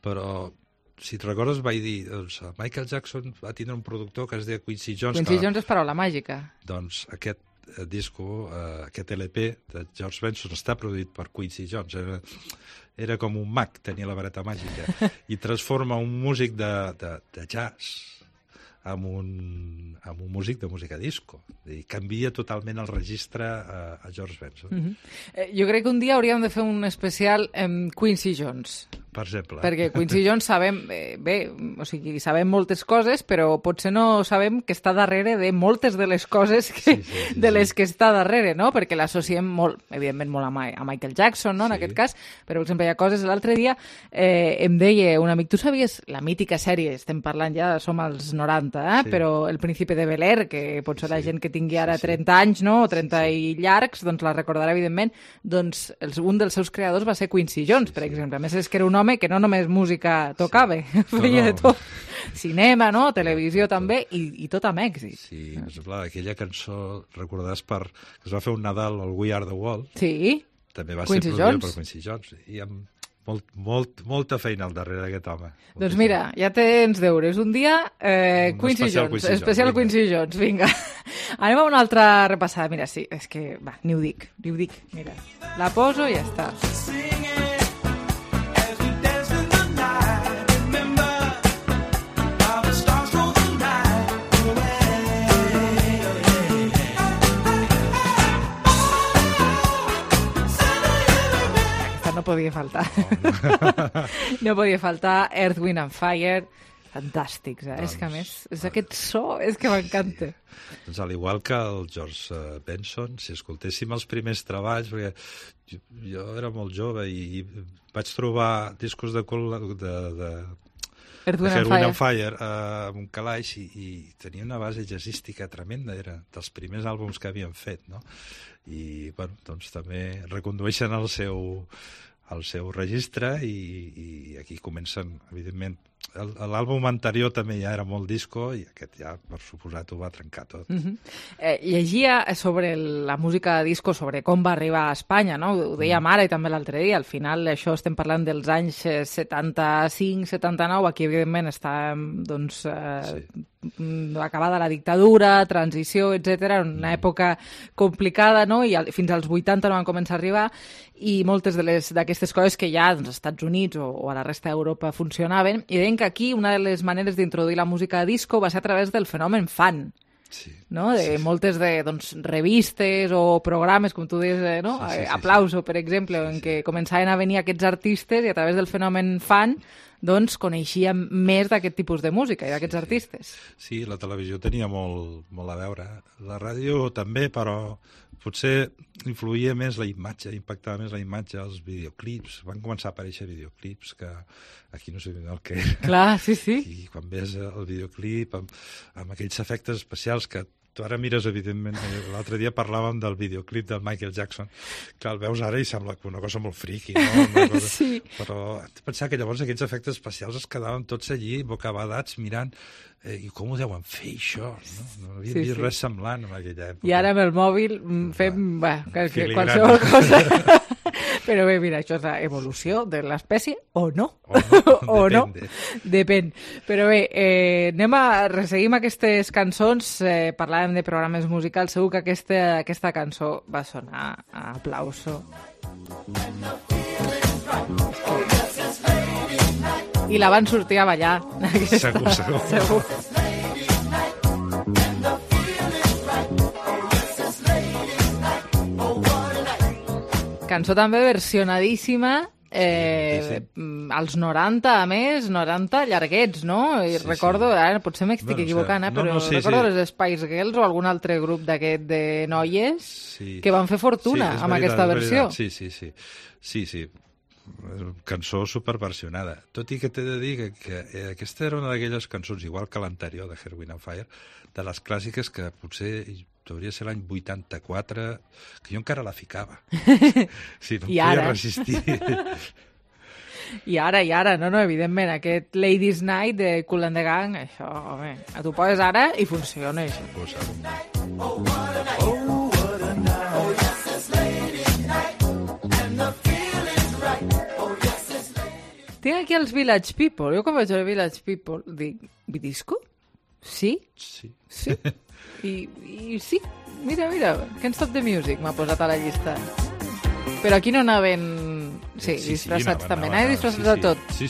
Però, si et recordes, vaig dir, doncs, Michael Jackson va tindre un productor que es deia Quincy Jones. Quincy Jones és paraula màgica. Doncs aquest disco, aquest LP de George Benson està produït per Quincy Jones. Era com un mag, tenia la vareta màgica. I transforma un músic de jazz amb un músic de música disco. I canvia totalment el registre a George Benson. Jo crec que un dia hauríem de fer un especial amb Quincy Jones. Per exemple. Perquè Quincy Jones sabem, sabem moltes coses, però potser no sabem que està darrere de moltes de les coses les que està darrere, no? Perquè l'associem molt, evidentment, molt a Michael Jackson, no? En aquest cas, però, per exemple, hi ha coses... L'altre dia em deia un amic, tu sabies la mítica sèrie, estem parlant ja, som als 90, però El Príncipe de Bel-Air, que potser la gent que tingui ara 30 anys, no? O 30 i llargs, doncs la recordarà, evidentment, doncs un dels seus creadors va ser Quincy Jones, per exemple. A més, és que era un home que no només música tocava, feia de tot. Cinema, no? Televisió també, i tot amb èxit. Sí, per exemple, aquella cançó, recordaràs, que es va fer un Nadal, el We Are the World. Sí. També va ser produïda per Quincy Jones. I amb molta feina al darrere d'aquest home. Doncs mira, ja tens deures. Un dia, Quincy Jones, especial Quincy Jones, vinga. Anem a una altra repassada. Mira, sí, és que, va, ni ho dic. Mira, la poso i ja està. No podia faltar. No podia faltar Earth, Wind and Fire. Fantàstics, eh? És que a més, és aquest so, és que m'encanta. Doncs al igual que el George Benson, si escoltéssim els primers treballs, perquè jo era molt jove i vaig trobar discos de Earth, Wind and Fire amb un calaix i tenia una base jazzística tremenda, era dels primers àlbums que havien fet, no? I, bueno, doncs també recondueixen el seu registre i aquí comencen, evidentment, l'àlbum anterior també ja era molt disco i aquest ja, per suposat, ho va trencar tot. Llegia sobre la música disco, sobre com va arribar a Espanya, no? Ho dèiem ara i també l'altre dia, al final això estem parlant dels anys 75-79, aquí evidentment està, doncs, acabada la dictadura, transició, etc. Una època complicada, no? I fins als 80 no van començar a arribar i moltes d'aquestes coses que ja als Estats Units o a la resta d'Europa funcionaven, i deien que aquí una de les maneres d'introduir la música disco va ser a través del fenomen fan. No? De moltes revistes o programes, com tu dius, no? Aplauso, per exemple, en què començaven a venir aquests artistes i a través del fenomen fan doncs coneixíem més d'aquest tipus de música i d'aquests artistes. Sí, la televisió tenia molt a veure. La ràdio també, però potser influïa més la imatge, impactava més la imatge, els videoclips. Van començar a aparèixer videoclips que aquí no sé el que era. Clar, sí. I quan ves el videoclip amb aquells efectes especials que tu ara mires, evidentment, l'altre dia parlàvem del videoclip del Michael Jackson, que el veus ara i sembla una cosa molt friqui, no? Sí. Però hem de pensar que llavors aquells efectes especials es quedaven tots allí, bocabadats, mirant i com ho deuen fer, això? No havia vist res semblant en aquella època. I ara amb el mòbil fem qualsevol cosa. Però bé, mira, això és l'evolució de l'espècie o no. O no. Depèn. Però bé, resseguim aquestes cançons, parlàvem de programes musicals, segur que aquesta cançó va sonar a aplauso. I la van sortir a ballar. Segur. Segur. Cançó també versionadíssima als 90, a més, 90 llarguets, no? I recordo, ara potser m'estic equivocant, però recordo les Spice Girls o algun altre grup d'aquest de noies que van fer fortuna amb aquesta versió. Sí. Cançó superversionada. Tot i que t'he de dir que aquesta era una d'aquelles cançons, igual que l'anterior de Earth, Wind & Fire, de les clàssiques que potser hauria de ser l'any 84, que jo encara la ficava. Sí, no em podia resistir. I ara, no, evidentment, aquest Ladies Night de Kool and the Gang, això, home, tu poses ara i funciona, això. Tinc aquí els Village People. Jo quan vaig veure Village People dic, Vidisco? Sí? Sí. I sí, mira, Can't Stop the Music m'ha posat a la llista. Però aquí no anaven... Sí, disfressats també. Anaven disfressats de tot. Sí.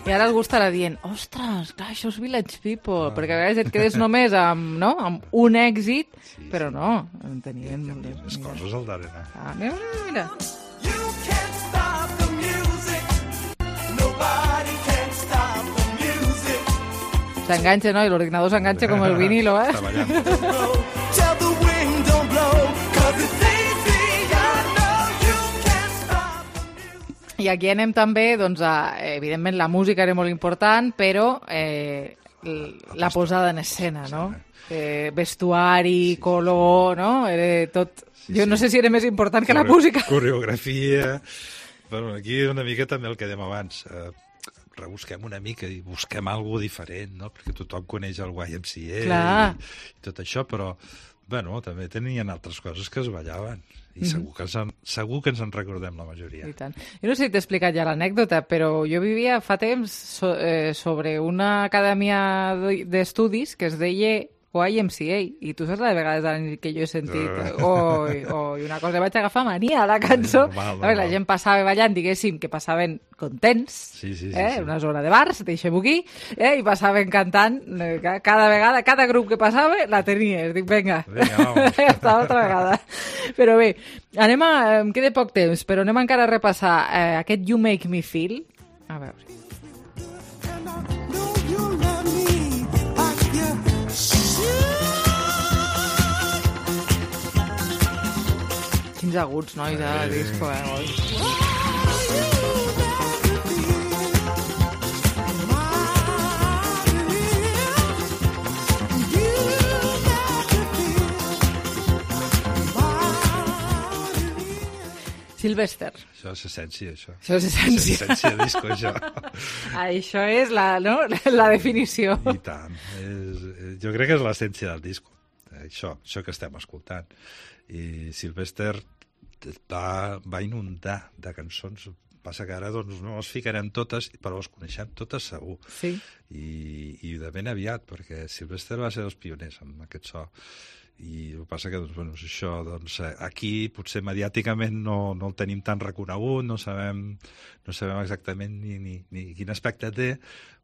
I ara algú estarà dient, ostres, clar, això és Village People, perquè a vegades et quedes només amb un èxit, però no, en tenien més coses al darrere. Mira. S'enganxa, no? I l'ordinador s'enganxa com el vinilo, eh? I aquí anem també, doncs, evidentment la música era molt important, però la posada en escena, no? Vestuari, color, no? Era tot... Jo no sé si era més important que la música. Coreografia... Bueno, aquí una mica també el que dèiem abans. Rebusquem una mica i busquem alguna diferent, no? Perquè tothom coneix el YMCA i tot això, però bueno, també tenien altres coses que es ballaven. I segur que ens en recordem la majoria. I tant. Jo no sé si t'he explicat ja l'anècdota, però jo vivia fa temps sobre una acadèmia d'estudis que es deia YMCA, i tu saps la de vegades a la nit que jo he sentit una cosa, vaig agafar mania a la cançó, la gent passava ballant, diguéssim, que passaven contents, una zona de bars, deixem-ho aquí, i passaven cantant, cada vegada, cada grup que passava la tenies, dic, vinga, esta altra vegada. Però bé, em queda poc temps, però anem encara a repassar aquest You Make Me Feel, a veure. Quins aguts, nois, de disco, Sylvester. Això és essència, això. Això és essència. És essència de disco, això. Això és la definició. I tant. Jo crec que és l'essència del disco. Això que estem escoltant. I Sylvester va inundar de cançons. Passa que ara doncs, no les ficarem totes, però les coneixem totes segur. Sí. I de ben aviat, perquè Sylvester va ser dels pioners amb aquest so. I el que passa que això, aquí potser mediàticament no el tenim tan reconegut, no sabem exactament ni quin aspecte té,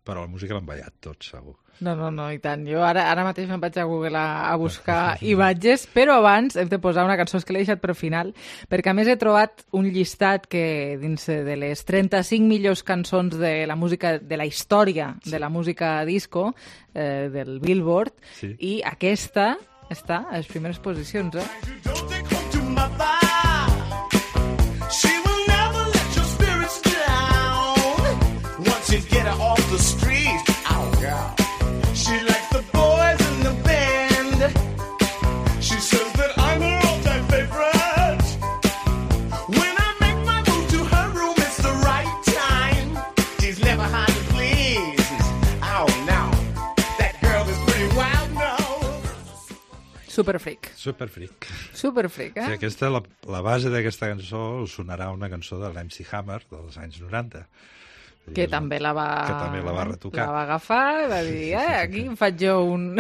però la música l'han ballat tot, segur. No, i tant. Jo ara mateix me'n vaig a Google a buscar imatges, però abans hem de posar una cançó que l'he deixat per final, perquè a més he trobat un llistat que dins de les 35 millors cançons de la música, de la història de la música disco, del Billboard, i aquesta està a les primeres posicions, Superfreak. Superfreak. Superfreak, Sí, aquesta, la base d'aquesta cançó us sonarà una cançó de l'MC Hammer dels anys 90. Que també la va retocar. La va agafar i va dir, aquí em faig jo un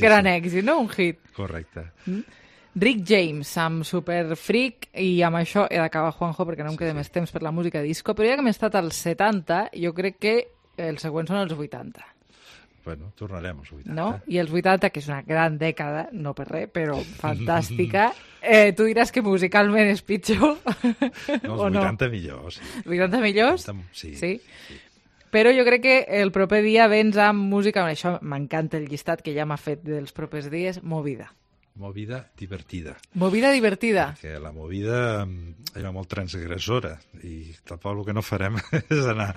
gran èxit, no? Un hit. Correcte. Rick James, amb Superfreak, i amb això he d'acabar, Juanjo, perquè no em queda més temps per la música disco, però ja que hem estat als 70, jo crec que els següents són els 80. Bueno, tornarem als 80. No? I els 80, que és una gran dècada, no per res, però fantàstica. Tu diràs que musicalment és pitjor, no, o no? Els 80 millors. Els 80 millors? Sí. Però jo crec que el proper dia vens amb música, això m'encanta el llistat que ja m'ha fet dels propers dies, movida. Movida divertida. Movida divertida. Perquè la movida era molt transgressora i tampoc el que no farem és anar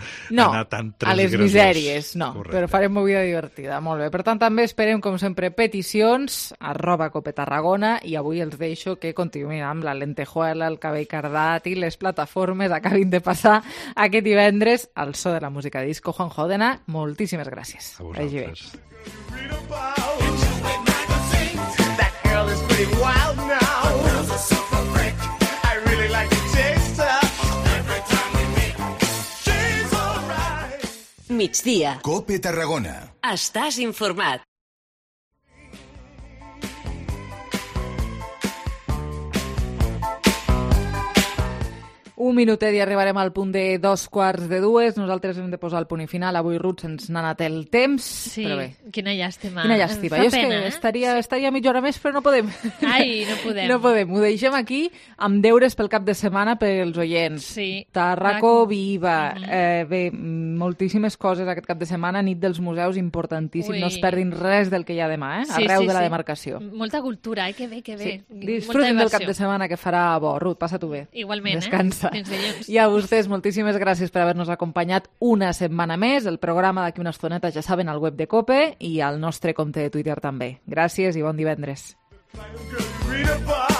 tan transgressors. A les misèries, no. Correcte. Però farem movida divertida, molt bé. Per tant, també esperem, com sempre, peticions, @copetarragona, i avui els deixo que continuïn amb la lentejuela, el cabell cardat i les plataformes acabin de passar aquest divendres al so de la música disco. Juan Jodena, moltíssimes gràcies. A vosaltres. Is pretty wild now. Girls are super freak. I really like to taste her. Every time we meet, she's alright. Migdia. Cope Tarragona. Estàs informat. Un minutet i arribarem al punt de 2:45. Nosaltres hem de posar el punt i final. Avui, Ruth, se'ns n'ha anat el temps. Sí, però bé. Quina llàstima. Quina llàstima. Fa Jo és pena, que estaria mitja hora més, però no podem. Ai, no podem. No podem. Ho deixem aquí amb deures pel cap de setmana pels oients. Sí. Tarraco viva. Bé, moltíssimes coses aquest cap de setmana. Nit dels museus, importantíssim. Ui. No es perdin res del que hi ha demà, Sí, arreu sí, de la sí. demarcació. Molta cultura, que bé, que bé. Sí. Molta Disfruten del cap diversió. de setmana que farà bo. Ruth, passa-t'ho bé. Igualment, Descansa. Fins dilluns. I a vostès, moltíssimes gràcies per haver-nos acompanyat una setmana més. El programa d'aquí una estoneta, ja saben, al web de COPE i al nostre compte de Twitter també. Gràcies i bon divendres. Read about